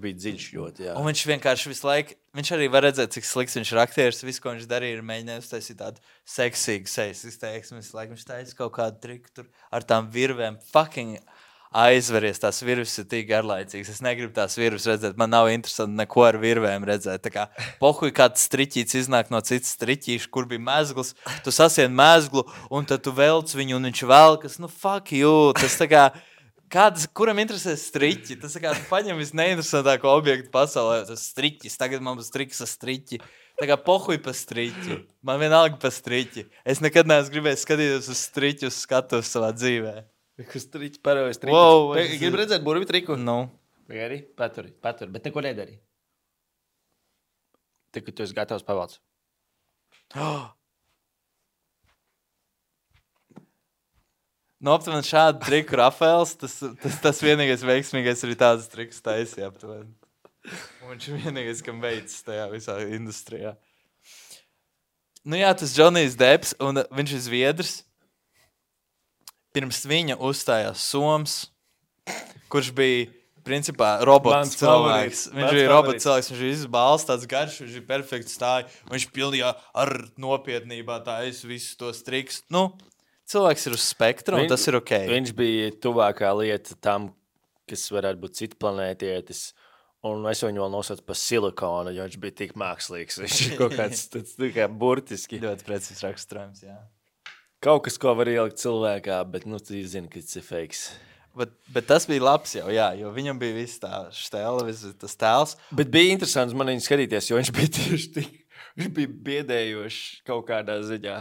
bija dziļš ļoti, jā. Un viņš vienkārši visu laiku, viņš arī var redzēt, cik slikts viņš ir aktieris, visu, ko viņš darīja, ir mēģinājis uztaisīt tādu seksīgu sejas izteiksmi, visu laiku viņš taisa kaut kādu triku tur ar tām virvēm, fucking aizveries, tās virves ir tik garlaicīgas. Es negribu tās virves redzēt, man nav interesanti neko ar virvēm redzēt. Tā kā pohuj kāds striķīts iznāk no citas striķīša, kur bija mezgls, tu sasien mezglu, un tad tu velc viņu, un viņš velkas, nu fuck you, tas tā kā, kuram interesē striķi? Tas tā kā paņem visneinteresantāko objektu pasaulē, tas striķis, tagad man būs triks ar striķi. Tā kā pohuj pa striķi, man vienalga pa striķi. Es nekad neesmu gribējis skatīties uz striķu, uz skatus savā dzīvē. Kas triķi parojas triku. Wow, Gribu redzēt burvi triku? Nu. Gari, paturi, bet neko nedari. Tik, ka tu esi gatavs pavalc. Nu, aptuveni šādu triku Rafaels, tas vienīgais veiksmīgais arī tādas trikus taisīja aptuveni. Un viņš ir vienīgais, kam veids tajā visā industrijā. Nu jā, tas Džonijs Depps, un viņš ir Zviedrs. Pirms viņa uzstājās Soms, kurš bija, principā, robots cilvēks. Viņš bija robots cilvēks, viņš bija izbāls, tāds garš, viņš bija perfekts stāja, un viņš pildījā ar nopietnībā taisa visus tos triks. Nu, cilvēks ir uz spektra, un tas ir ok. Viņš bija tuvākā lieta tam, kas varētu būt citplanētietis, un es viņu vēl nosaucu par silikonu, jo viņš bija tik mākslīgs. Viņš ir kaut kāds tāds kā burtiski. Ļoti precīzs raksturojums, jā. Kaut kas, ko var ielikt cilvēkā, bet, tu zini, ka tas ir fakes. Bet tas bija labs jau, jā, jo viņam bija viss tā štēla, viss tas tēls. Bet bija interesants man viņu skatīties, jo viņš bija tieši tik, viņš bija biedējošs kaut kādā ziņā.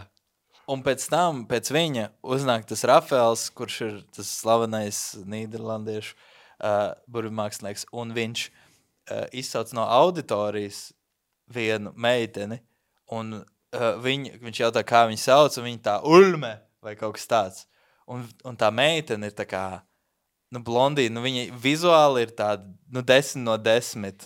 Un pēc tam, pēc viņa uznāk tas Rafaels, kurš ir tas slavenais nīderlandiešu burvimākslinieks, un viņš izsauc no auditorijas vienu meiteni, un viņš jautā, kā viņu sauc, un viņa tā Ulme vai kaut kas tāds. Un tā meitene ir tā kā, blondīna, viņa vizuāli ir tāda, 10 no 10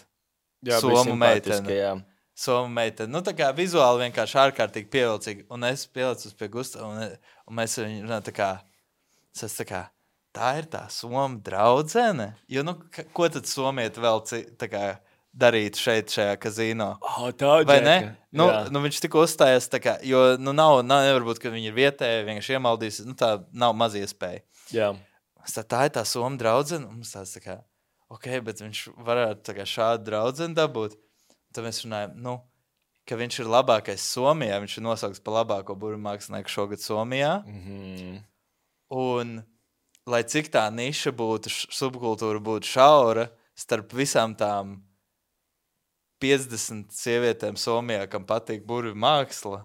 somu meitene. Jā. Somu meitene. Tā kā vizuāli vienkārši ārkārtīgi pievilcīgi. Un es pielicos pie Gusta, un mēs viņu runājam tā kā, tā ir tā Soma draudzene? Jo, ko tad somieti vēl tā kā darīt šajā kazino? Tā vai ne? Viņš tikko uzstājās, tā kā, jo nevar būt, ka viņi ir vietēji, vienkārši iemaldīs, tā nav maz iespēja. Jā. Tā ir tā Soma draudzene, un mums tāds tā kā, ok, bet viņš varētu tā kā šādu draudzeni dabūt. Tad mēs runājam, ka viņš ir labākais Somijā, viņš ir nosaukts par labāko burvimākslinieku šogad Somijā. Un, lai cik tā niša būtu, subkultūra būtu šaura, starp visām tām 50 sievietēm Somijā, kam patīk burvi māksla,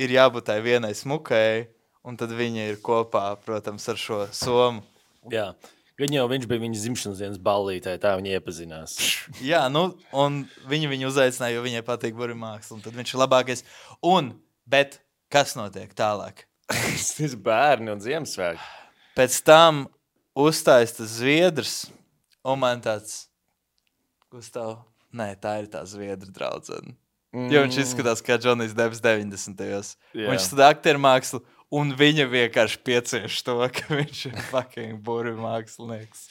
ir jābūt tai vienai smukai, un tad viņa ir kopā, protams, ar šo Somu. Jā, gan jau viņš bija viņas dzimšanas dienas ballītē, tā viņa iepazinās. Jā, un viņu uzaicināja, jo viņai patīk burvi māksla, un tad viņš ir labākais. Un Bet kas notiek tālāk? Tas bērni un Ziemassvētki. Pēc tam uzstājas tas zviedrs, un man tāds, Gustav, nē, tā ir tā zviedra draudzene. Jo viņš izskatās kā Džonijs Debs 90. Viņš studē aktieru mākslu, un viņa vienkārši piecieš to, ka viņš ir fucking burvi mākslinieks.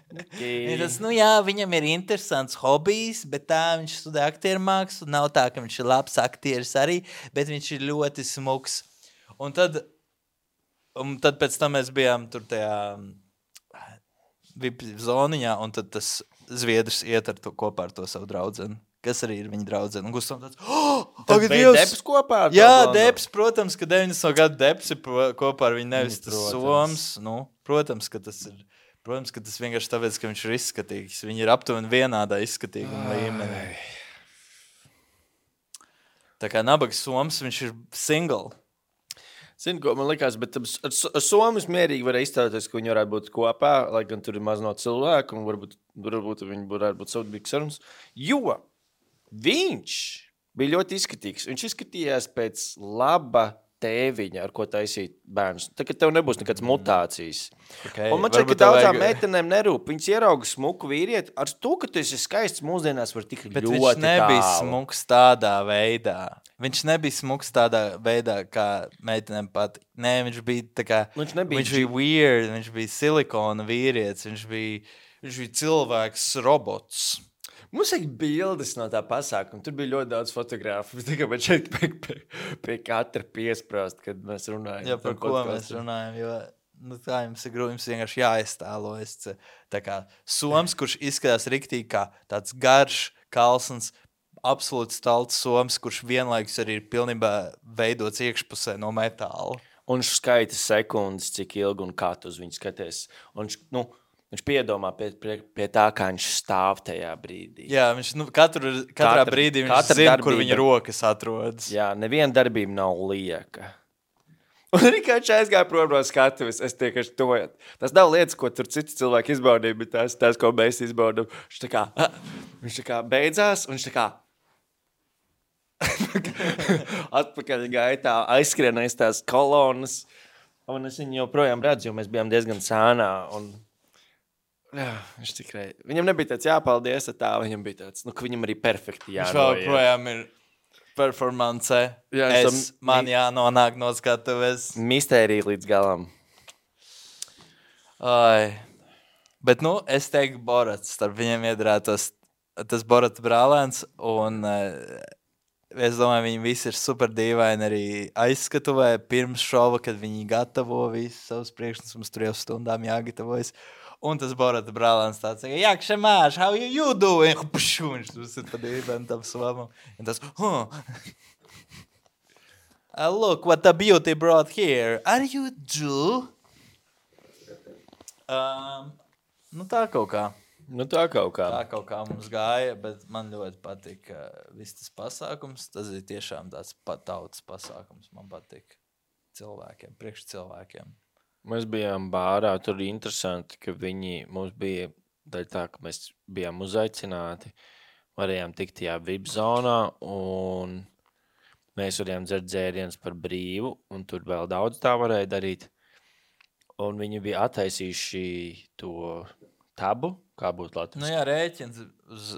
Tas, viņam ir interesants hobijs, bet tā viņš studē aktieru mākslu. Nav tā, ka viņš ir labs aktieris arī, bet viņš ir ļoti smuks. Un tad pēc tam mēs bijām tur tajā VIP zoniņā, un tad tas zviedrs iet ar to kopā ar to savu draudzeni. Kas arī ir viņa draudzene. Un Gustav tāds, Tad bija Debs kopā ar to? Jā, Debs, protams, ka 90. gadu Debs ir kopā ar viņu, nevis tas Soms. Protams, ka tas ir. Protams, ka tas vienkārši tāpēc, ka viņš ir izskatīgs. Viņi ir aptuveni vienādā izskatīguma līmenī. Tā kā nabaga Soms, viņš ir single. Zini, ko man likās, bet ar Somas mierīgi varēja izstāties, ka viņi varētu būt kopā, lai gan tur ir maz no cilvēku, un varbūt viņi varētu būt savdabīgs sarunas. Jo viņš bija ļoti izskatīgs. Viņš izskatījās pēc laba tēviņa, ar ko taisīt bērnus. Tā, ka tev nebūs nekāds mutācijas. Okay. Un man šeit, ka daudzām meitenēm nerūp. Viņas ierauga smuku vīrieti. Ar to, ka tu esi skaists mūsdienās, var tik bet ļoti tālu. Bet viņš nebija smuks tādā veidā. Viņš nebija smuks tādā veidā, kā meitenēm patīk. Nē, viņš bija tā kā... Viņš bija weird, viņš bija silikona vīrietis, viņš bija cilvēks robots. Mums ir bildes no tā pasākuma. Tur bija ļoti daudz fotografu. Tā kā man šeit pie katra piesprāst, kad mēs runājam. Jā, par ko mēs runājam, jo tā jums ir grūti, jums vienkārši jāiztēlojas. Tā kā Soms, kurš izskatās riktīgi kā tāds garš, kalsns, absolūti stalts Soms, kurš vienlaikus arī ir pilnībā veidots iekšpusē no metāla. Un viņš skaita sekundes, cik ilgi un kā tu uz viņu skaties. Un viņš piedomā pie tā, kā viņš stāv tajā brīdī. Jā, viņš katrā brīdī viņš zina, kur viņa rokas atrodas. Jā, neviena darbība nav lieka. Un arī kā viņš aizgāja prom no skatuves, es tiekaši to. Tas nav lietas, ko tur citi cilvēki izbaudīja, bet tās, ko mēs izbaudām. Viņš tā kā beidzās, un viņš tā kā atpakaļ gaitā aizskrienais tās kolonas. Un es viņu joprojām redzu, jo mēs bijām diezgan sānā. Un jā, viņš tikai... Viņam nebija tāds jāpaldies, tā viņam bija tāds, ka viņam arī perfekti jānoiet. Viņš vēl projām ir performance. Jā, man jānonāk no skatuves. Mistērija līdz galam. Ai. Bet, es teiktu Borats. Starp viņiem iedrētos tas Borata brālēns, un es domāju, viņi visi ir super dīvaini arī aizskatuvē pirms šova, kad viņi gatavo visus savus priekšnesumus, tur jau stundām jāgatavojas. Un tas Borata brālēns tāds, jak šemāš, how you doing? Viņš tur pa dīvaini tam svamam. Un tas, look what the beauty brought here. Are you Jew? Tā kaut kā. Tā kaut kā. Tā kaut kā mums gāja, bet man ļoti patīk viss tas pasākums. Tas ir tiešām tāds tautas pasākums. Man patīk cilvēkiem, priekš cilvēkiem. Mēs bijām bārā, tur ir interesanti, ka mums bija daļa tā, ka mēs bijām uzaicināti, varējām tikt tajā VIP zonā, un mēs varējām dzert dzērienus par brīvu, un tur vēl daudz tā varēja darīt. Un viņi bija attaisījuši to tabu, kā būtu latviski. Jā, rēķins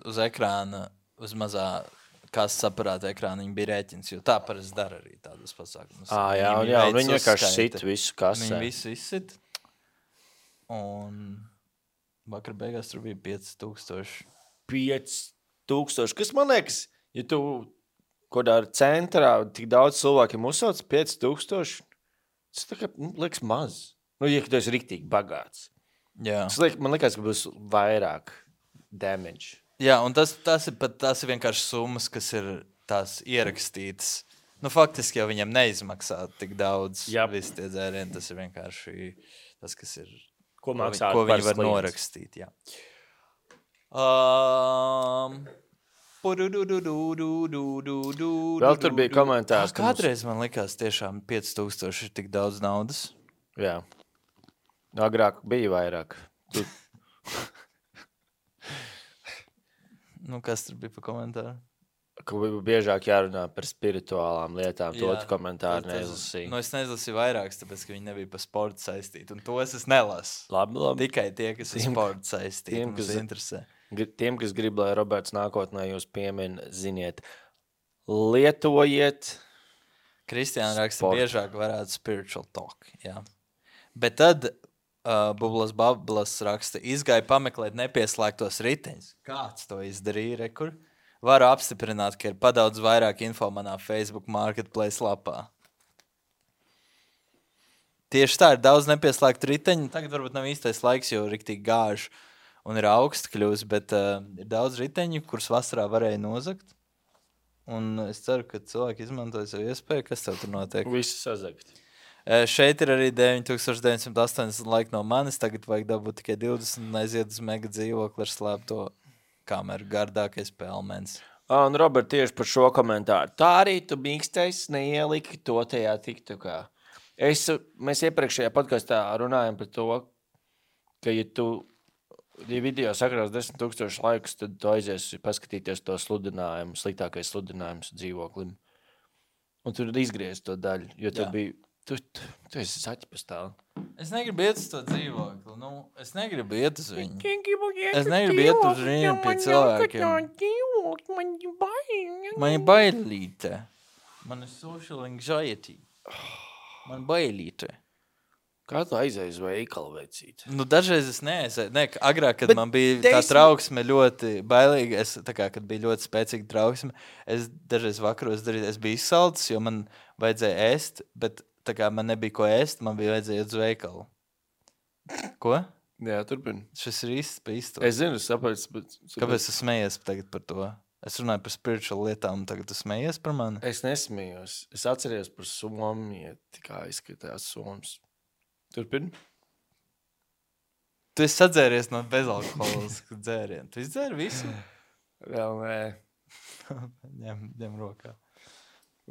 uz ekrāna, uz mazā kasas aparāta ekrāna, viņi bija rēķins, jo tā parasti dara arī tādas pasākumus. Jā, un viņi vienkārši sit visu kasē. Viņi visu izsit. Un vakar beigās tur bija 5000. 5000, kas man liekas, ja tu kodā centrā tik daudz cilvēkiem uzsauc 5000, tas tā kā liekas maz. Ja tu esi riktīgi bagāts. Jā. Man liekas, ka būs vairāk damage. Jā, un tas ir vienkārši summas, kas ir tās ierakstītas. Faktiski jau viņam neizmaksā tik daudz visi tie dzērieni. Tas ir vienkārši tas, kas ir, ko viņi var norakstīt. Jā. Vēl tur bija komentārs. Kādreiz man likās tiešām 5000 ir tik daudz naudas. Jā. Agrāk bija vairāk. Kas tur bija pa komentāru? ka biežāk jārunā par spirituālām lietām. To Jā, komentāru neizlasīju. Nu, es neizlasīju vairākus, tāpēc, ka viņi nebija par sportu saistīti. Un tos es nelasu. Labi. Tikai tie, kas ir sporta saistīti, tiem, kas interesē. Tiem, kas grib, lai Roberts nākotnē jūs piemin, ziniet, lietojiet. Kristiāna raksta, Sportu. biežāk varētu spiritual talk. Jā. Bet tad Bablas raksta, izgāja pameklēt nepieslēgtos riteņus. Kāds to izdarīja, rekur? Varu apstiprināt, ka ir padaudz vairāk info manā Facebook marketplace lapā. Tieši tā, ir daudz nepieslēgtu riteņu. Tagad varbūt nav īstais laiks, jo riktīgi gāž un ir augsts kļūst, bet ir daudz riteņu, kurus vasarā varēja nozagt. Un es ceru, ka cilvēki izmantoja savu iespēju. Kas tev tur notiek? Visi sazagt. Šeit ir arī 9980 laika no manis. Tagad vajag dabūt tikai 20 un aiziet uz mega dzīvokli ar slēpto kameru. Gardākais pelmens. Un Robert, tieši par šo komentāru. Tā arī tu mīkstais neieliki to tajā tiktukā. Mēs iepriekšējā podkastā runājam par to, ka ja tu video sakrās 10,000 laikus, tad tu aizies paskatīties to sludinājumu, sliktākais sludinājums dzīvoklim. Un tur izgriez to daļu, jo tu biji, tu esi saķi pastāv. Es negribu iet uz to dzīvokli. Nu, es negribu iet uz viņu. Es negribu iet uz viņiem pie cilvēkiem. Man ir bailīte. Man ir social anxiety. Man bailīte. Kā tu aizēji uz veikalu veicīt? Nu, dažreiz es neaizēju. Ne, agrāk, kad man bija tā trauksme ļoti bailīga, kad bija ļoti spēcīga trauksme, es dažreiz vakaros darīju, es biju izsalcis, jo man vajadzēja ēst, bet tā kā man nebija ko ēst, man bija vajadzēja iet uz veikalu. Ko? Jā, turpini. Šis ir īsts pa īstu. Es zinu, sapratu, bet... Kāpēc tu smējies tagad par to? Es runāju par spiritual lietām, un tagad tu smējies par mani? Es nesmējos. Es atceries par Somiju, kā izskatās Soms. Turpini. Tu esi sadzēries no bezalkoholisku dzērienu. Tu izdzēri visu? Vēl nē. ņem rokā.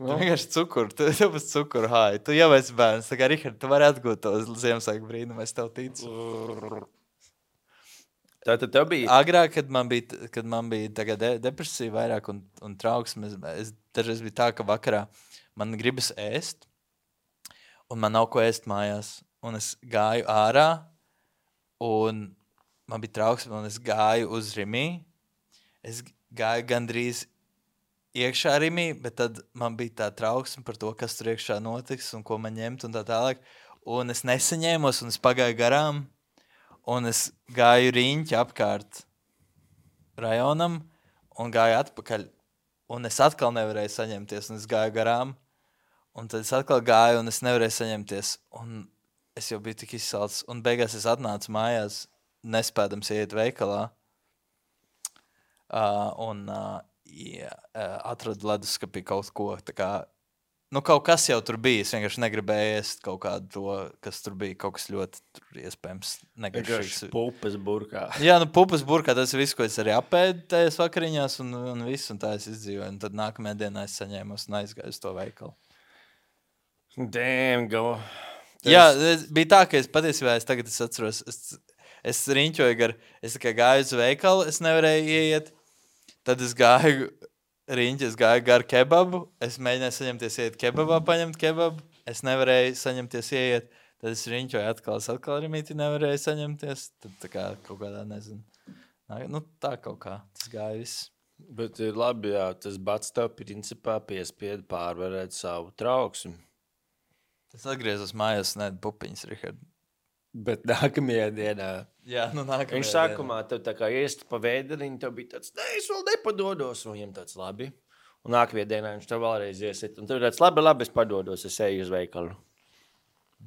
Tu vienkārši cukuru. Tev būs cukuru hāja. Tu jau esi bērns. Tā kā, Rihard, tu vari atgūt to Ziemassvētku brīnumu. Es tev ticu. Tātad tev bija... Agrāk, kad man bija depresija vairāk un trauksme, es dažreiz bija tā, ka vakarā man gribas ēst, un man nav ko ēst mājās. Un es gāju ārā, un man bija trauksme, un es gāju uz Rimī. Es gāju gandrīz iekšā Rimī, bet tad man bija tā trauksme par to, kas tur iekšā notiks un ko man ņemt un tā tālāk. Un es nesaņēmos, un es pagāju garām, un es gāju riņķi apkārt rajonam un gāju atpakaļ. Un es atkal nevarēju saņemties, un es gāju garām. Un tad es atkal gāju, un es nevarēju saņemties. Un es jau biju tik izsalcis. Un beigās es atnācu mājās, nespēdams iet veikalā. Atradu leduskapī kaut ko. Tā kā, nu, kaut kas jau tur bija. Es vienkārši negribēju ēst kaut kādu to, kas tur bija. Kaut kas ļoti tur iespējams negaršīgs. Pupas burkā. Jā, nu, pupas burkā. Tas ir viss, ko es arī apēdu tajās vakariņās un viss. Un tā es izdzīvoju. Un tad nākamajā dienā es saņēmos un aizgāju uz to veikalu. Damn, go. Jā, bija tā, ka es patiesībā tagad atceros, es riņķoju es tikai gāju uz veikalu, es nevarēju ieiet, tad es gāju gar kebabu, es mēģināju saņemties ieiet kebabā, paņemt kebabu, es nevarēju saņemties ieiet, tad es riņķoju atkal rimīti nevarēju saņemties, tad tā kā kaut kādā, nezinu, nu tā kaut kā, tas gāja viss. Bet ir labi, jā, tas bats tev principā piespieda pārvarēt savu trauksmi. Es atgriezos mājās, pupiņas, Rihard. Bet nākamajā dienā... Jā, nu nākamajā dienā. Viņš sākumā tev tā kā iest pa vēderiņu, tev bija tāds, es vēl nepadodos, un viņam tāds labi. Un nākamajā dienā viņš tev vēlreiz iesit, un tev tāds labi, es padodos, es eju uz veikalu.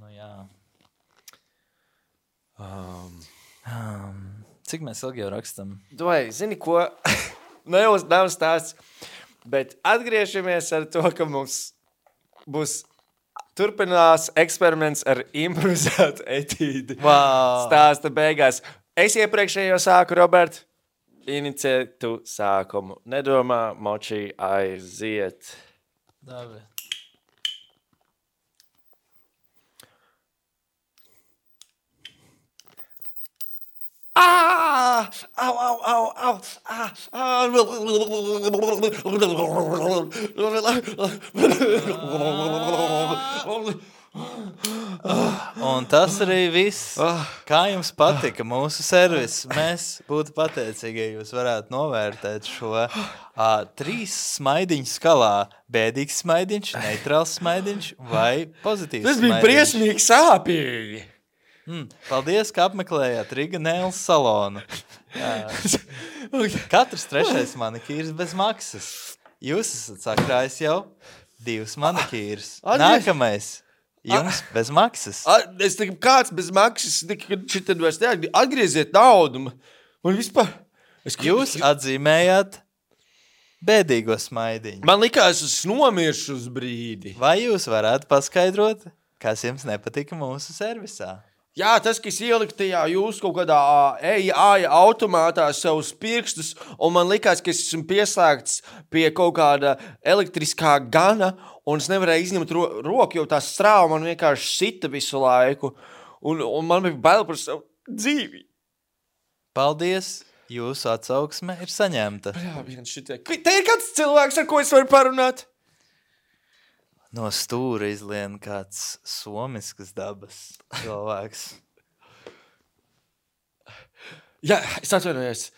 Nu jā. Cik mēs ilgi jau rakstam? Vai, zini ko? Nav stāsts, bet atgriežamies ar to, ka mums būs... Turpinās eksperiments ar improvizētu etīdi. Wow. Stāsta beigās. Es iepriekšējo sāku, Robert. Inicē tu sākumu. Nedomā, močī, aiziet. Dabi. Un tas arī viss. Kā jums patika mūsu servis? Mēs būtu pateicīgi, ja jūs varētu novērtēt šo 3 smaidiņu skalā. Bēdīgs smaidiņš, neitrāls smaidiņš vai pozitīvs Tas bija smaidiņš. briesmīgi sāpīgi. Paldies, ka apmeklējāt Riga Nails salonu. Katrs 3. manikīrs bez maksas. Jūs esat sakrājis jau 2 manikīrus. Nākamais. Jums bez maksas. Es tikai kāds bez maksas, šitad vairs neatgrieziet. Atgrieziet naudu. Man vispār... Jūs atzīmējāt bēdīgo smaidiņu. Man likās, es nomiršu uz brīdi. Vai jūs varētu paskaidrot, kas jums nepatika mūsu servisā? Jā, tas, kas ielikt tajā jūs kaut kādā AI automātā savus pirkstus, un man likās, ka es esmu pieslēgts pie kaut kāda elektriskā gana, un es nevarēju izņemt roku, jo tā strāva man vienkārši sita visu laiku, un man bija bail par savu dzīvi. Paldies, jūsu atsauksme ir saņemta. Jā, te ir kāds cilvēks, ar ko es varu parunāt? No stūra izlien kāds somiskas dabas cilvēks. Jā, es atvainojos.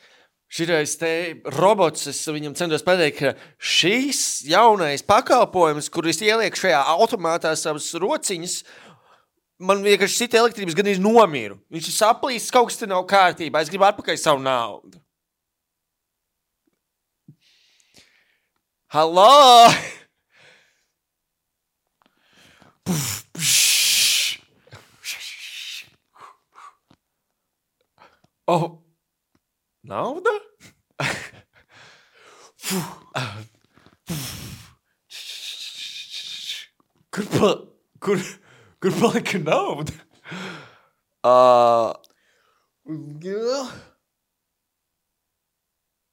Šitais te robots, es viņam centos pateikt, ka šīs jaunais pakalpojums, kur es ielieku šajā automātā savas rociņas, man vienkārši cita elektrības gan ir nomiru. Viņš ir saplīsis, kaut kas te nav kārtībā. Es gribu atpakaļ savu naudu. Halo! Oh, nauda? Kur palika nauda?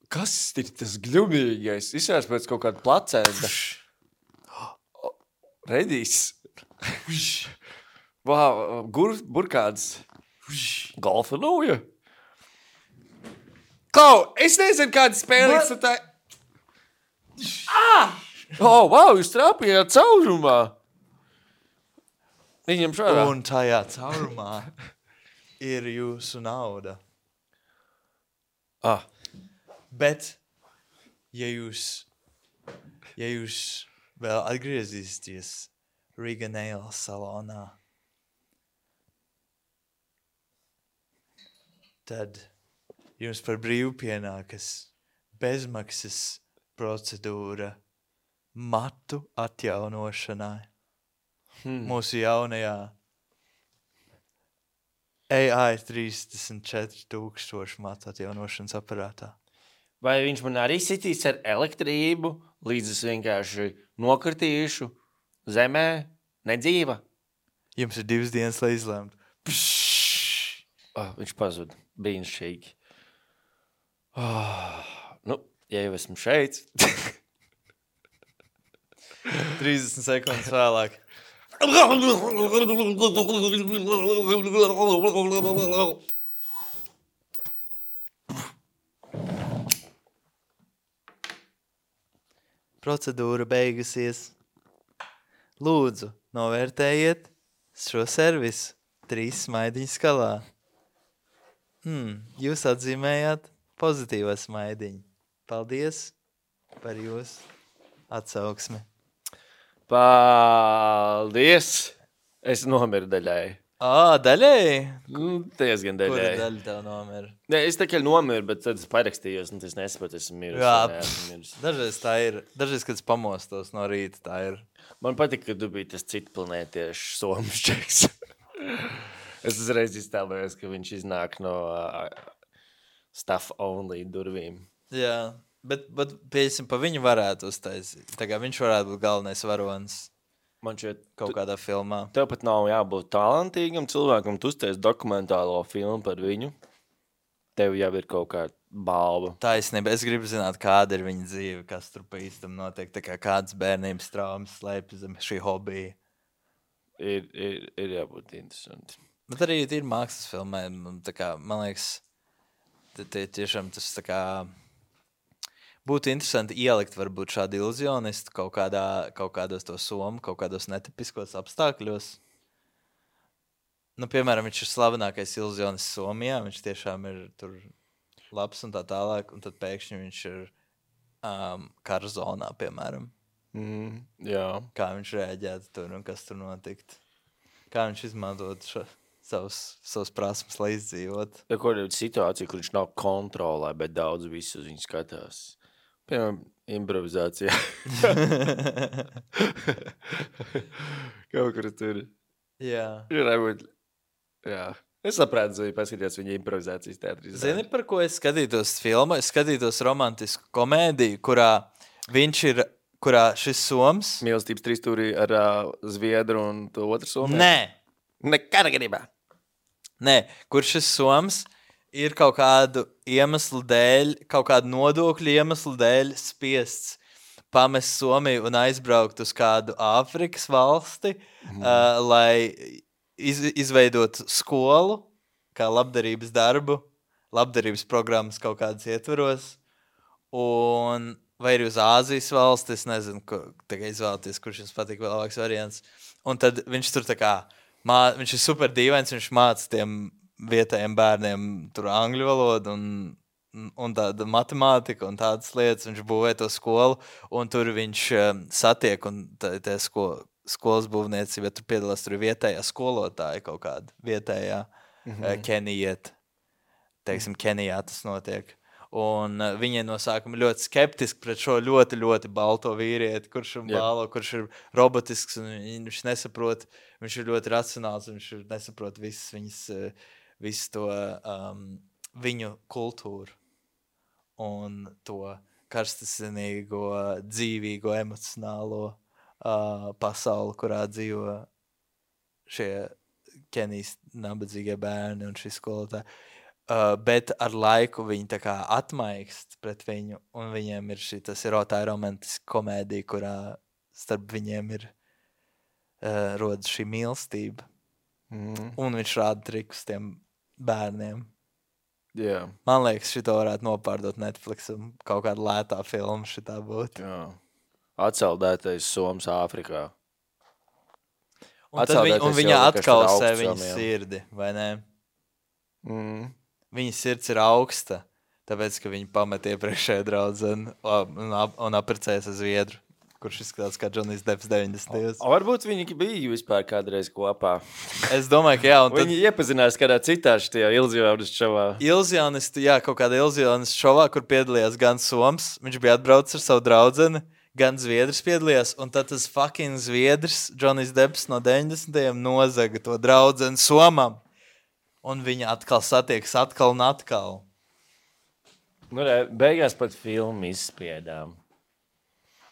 Kas ir tas gļumīgais? Izsās pēc kaut kāda placenta. Redīs. Wow, burkāds. Golfa lūja. Klau, es nezinu, kāda spēlīgs tu tā... Oh, wow, jūs trāpījāt caurumā. Viņam šādā. Un tajā caurumā ir jūsu nauda. Bet, ja jūs vēl atgriezīsieties Riga Nails salonā, tad jums par brīvu pienākas bezmaksas procedūra matu atjaunošanai. Mūsu jaunajā AI 34,000 matu atjaunošanas aparātā. Vai viņš man arī sitīs ar elektrību, līdz es vienkārši nokritīšu zemē, nedzīva? Jums ir 2 dienas, lai izlemtu. Viņš pazuda. Brīnišķīgi. Nu, ja jau esmu šeit. 30 sekundes vēlāk. Procedūra beigusies. Lūdzu, novērtējiet šo servisu 3 smaidiņu skalā. Jūs atzīmējāt pozitīvo smaidiņu. Paldies par jūsu atsauksmi. Paldies! Es nomiru daļai. Daļai? Diezgan Kura daļai. daļa tev nomira? Ne, es tikai nomiru, bet tad es parakstījos, un es nesaprotu, esmu miris. Jā, dažreiz tā ir. Dažreiz, kad es pamostos no rīta, tā ir. Man patika, ka tu biji tas citplanētiešu somšķeks. Es uzreiz iztēlojos, ka viņš iznāk no stuff only durvīm. Jā, bet piesim, pa viņu varētu uztaisīt. Tā kā viņš varētu būt galvenais varonis Man šeit kaut kādā filmā. tev pat nav jābūt talantīgam cilvēkam, tu uztais dokumentālo filmu par viņu. Tev jau ir kaut kāda balva. Taisnība, es gribu zināt, kāda ir viņa dzīve, kas tur pa īstam notiek, tā kā kādas bērnības traumas slēpjas zem šī hobija. Ir jābūt interesanti. Bet arī ir mākslas filmē, tā kā, man liekas, tiešām tas tā kā būtu interesanti ielikt varbūt šādu iluzionistu kaut kādos to somu, kaut kādos netipiskos apstākļos. Nu, piemēram, viņš ir slavenākais iluzionists Somijā, viņš tiešām ir tur labs un tā tālāk, un tad pēkšņi viņš ir kara zonā, piemēram. Jā. Kā viņš reaģētu tur un kas tur notikt. Kā viņš izmantot savus prasmes, lai izdzīvot. Ja kur ir situācija, kur viņš nav kontrolē, bet daudz visu uz viņu skatās. Piemēram, improvizācijā. Kaut kur tur. Jā. Jā. Es sapratu, ja paskatījos viņa improvizācijas teātrī. Zini, par ko es skatītos filmu? Es skatītos romantisku komēdiju, kurā šis soms... Mīlestības trīsstūrī ar Zviedru un to otru somu? Nē. Nekāda gadījumā. Nē, kur šis soms ir kaut kādu iemeslu dēļ, kaut kādu nodokļu iemeslu dēļ spiests pamest Somiju un aizbraukt uz kādu Āfrikas valsti, lai izveidot skolu, kā labdarības darbu, labdarības programmas kaut kādas ietvaros, un vai arī uz Āzijas valsti, es nezinu, tagad izvēlēties, kurš jums patīk vēl labāks variants. Un tad viņš tur tā kā, viņš ir super dīvains, viņš māca tiem vietējiem bērniem tur angļu valodu un tāda matemātika un tādas lietas. Viņš būvē to skolu, un tur viņš satiek, un tā skolas būvniecība, tur piedalās, tur ir vietējā skolotāja kaut kāda, vietējā Kenijiet. Teiksim, Kenijā tas notiek. Un viņai no sākuma ļoti skeptiski pret šo ļoti, ļoti balto vīrieti, kurš ir bālo, kurš ir robotisks, un viņš nesaprot, viņš ir ļoti racionāls, viņš nesaprot visu to viņu kultūru un to karstasinīgo, dzīvīgo, emocionālo pasauli, kurā dzīvo šie Kenijas nabadzīgie bērni un šī skolotāji. Bet ar laiku viņi tā kā atmaikst pret viņu, un viņiem ir tā ir romantiska komēdija, kurā starp viņiem ir rodas šī mīlestība. Un viņš rāda trikus tiem bērniem. Jā. Man liekas, šito varētu nopārdot Netflixam, kaut kāda lētā filma šitā būtu. Jā. Atceldētais Soms Āfrikā. Un viņa atkausē viņas sirdi, vai ne? Viņa sirds ir augsta, tāpēc, ka viņa pamet iepriekšēju draudzeni un apprecējas ar Zviedru, kurš izskatās kā Johnny's Depps 90. Varbūt viņi bija vispār kādreiz kopā. Es domāju, ka jā. Un viņi iepazinās kādā citā šajā ilzionistu šovā. Kaut kādā ilzionistu šovā, kur piedalījās gan Soms, viņš bija atbraucis ar savu draudzeni, gan Zviedrs piedalījās, un tad tas fucking Zviedrs, Johnny's Depps no 90. nozaga to draudzeni Somam. Un viņa atkal satiekas atkal un atkal. Nu, beigās pat filmu izspiedām.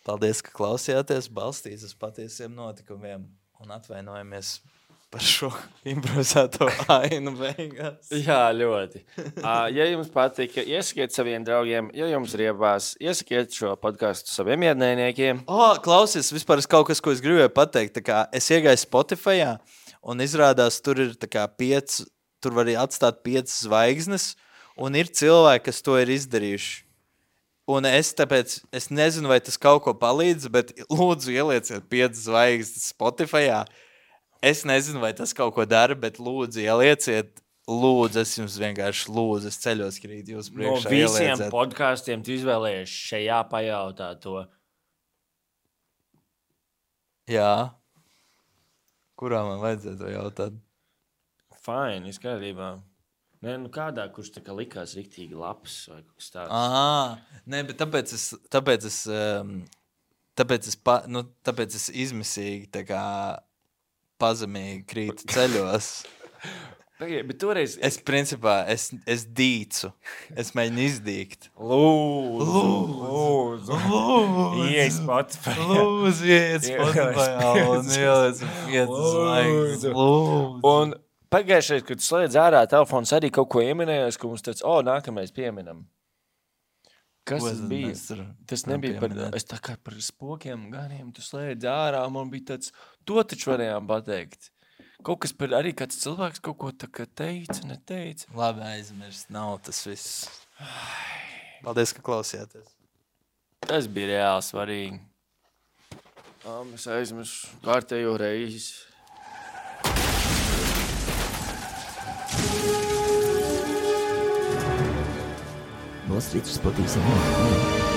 Paldies, ka klausījāties, balstīs uz patiesiem notikumiem un atvainojamies par šo improvizēto ainu beigās. Jā, ļoti. Ja jums patika, iesakiet saviem draugiem, ja jums riebās, iesakiet šo podcastu saviem iednējniekiem. Klausies, vispār kaut kas, ko es gribēju pateikt. Tā kā es iegāju Spotifyā un izrādās, tur ir tā kā 5... Tur var atstāt 5 zvaigznes, un ir cilvēki, kas to ir izdarījuši. Un tāpēc es nezinu, vai tas kaut ko palīdz, bet lūdzu ielieciet 5 zvaigznes Spotifyā. Es nezinu, vai tas kaut ko dara, bet lūdzu ielieciet. Lūdzu, es jums vienkārši lūdzu, es ceļos krīt jūs priekšā. No visiem ielieciet. Podkastiem tu izvēlējies šajā pajautā to. Jā. Kurā man vajadzētu to jautāt? Fine, izkārtībā. Nē, nu kādā, kurš tā kā likās riktīgi labs vai kaut kas tāds. Nē, bet tāpēc es izmisīgi tā kā pazemīgi krītu ceļos. Bet toreiz... Es principā, es dīcu. Es mēģinu izdīgt. Lūdzu. Iej Spotify. Lūdzu, iej Spotify. Un ieliec 5 zvaigznes. Lūdzu. Un pagājušais, kad slēdz ārā telefons, arī kaut ko ieminējos, ka mums tāds, nākamais pieminam. Kas tas bija? Tas nebija par... Es tā kā par spokiem ganiem, tu slēdz ārā, man bija tāds, to taču varējām pateikt. Kaut kas par arī kāds cilvēks kaut ko tā kā teica, neteica. Labi, aizmirst. Nav tas viss. Paldies, ka klausījāties. Tas bija reāli svarīgi. Es aizmirsu kārtējo reizi. Wall Street Sporting Salon.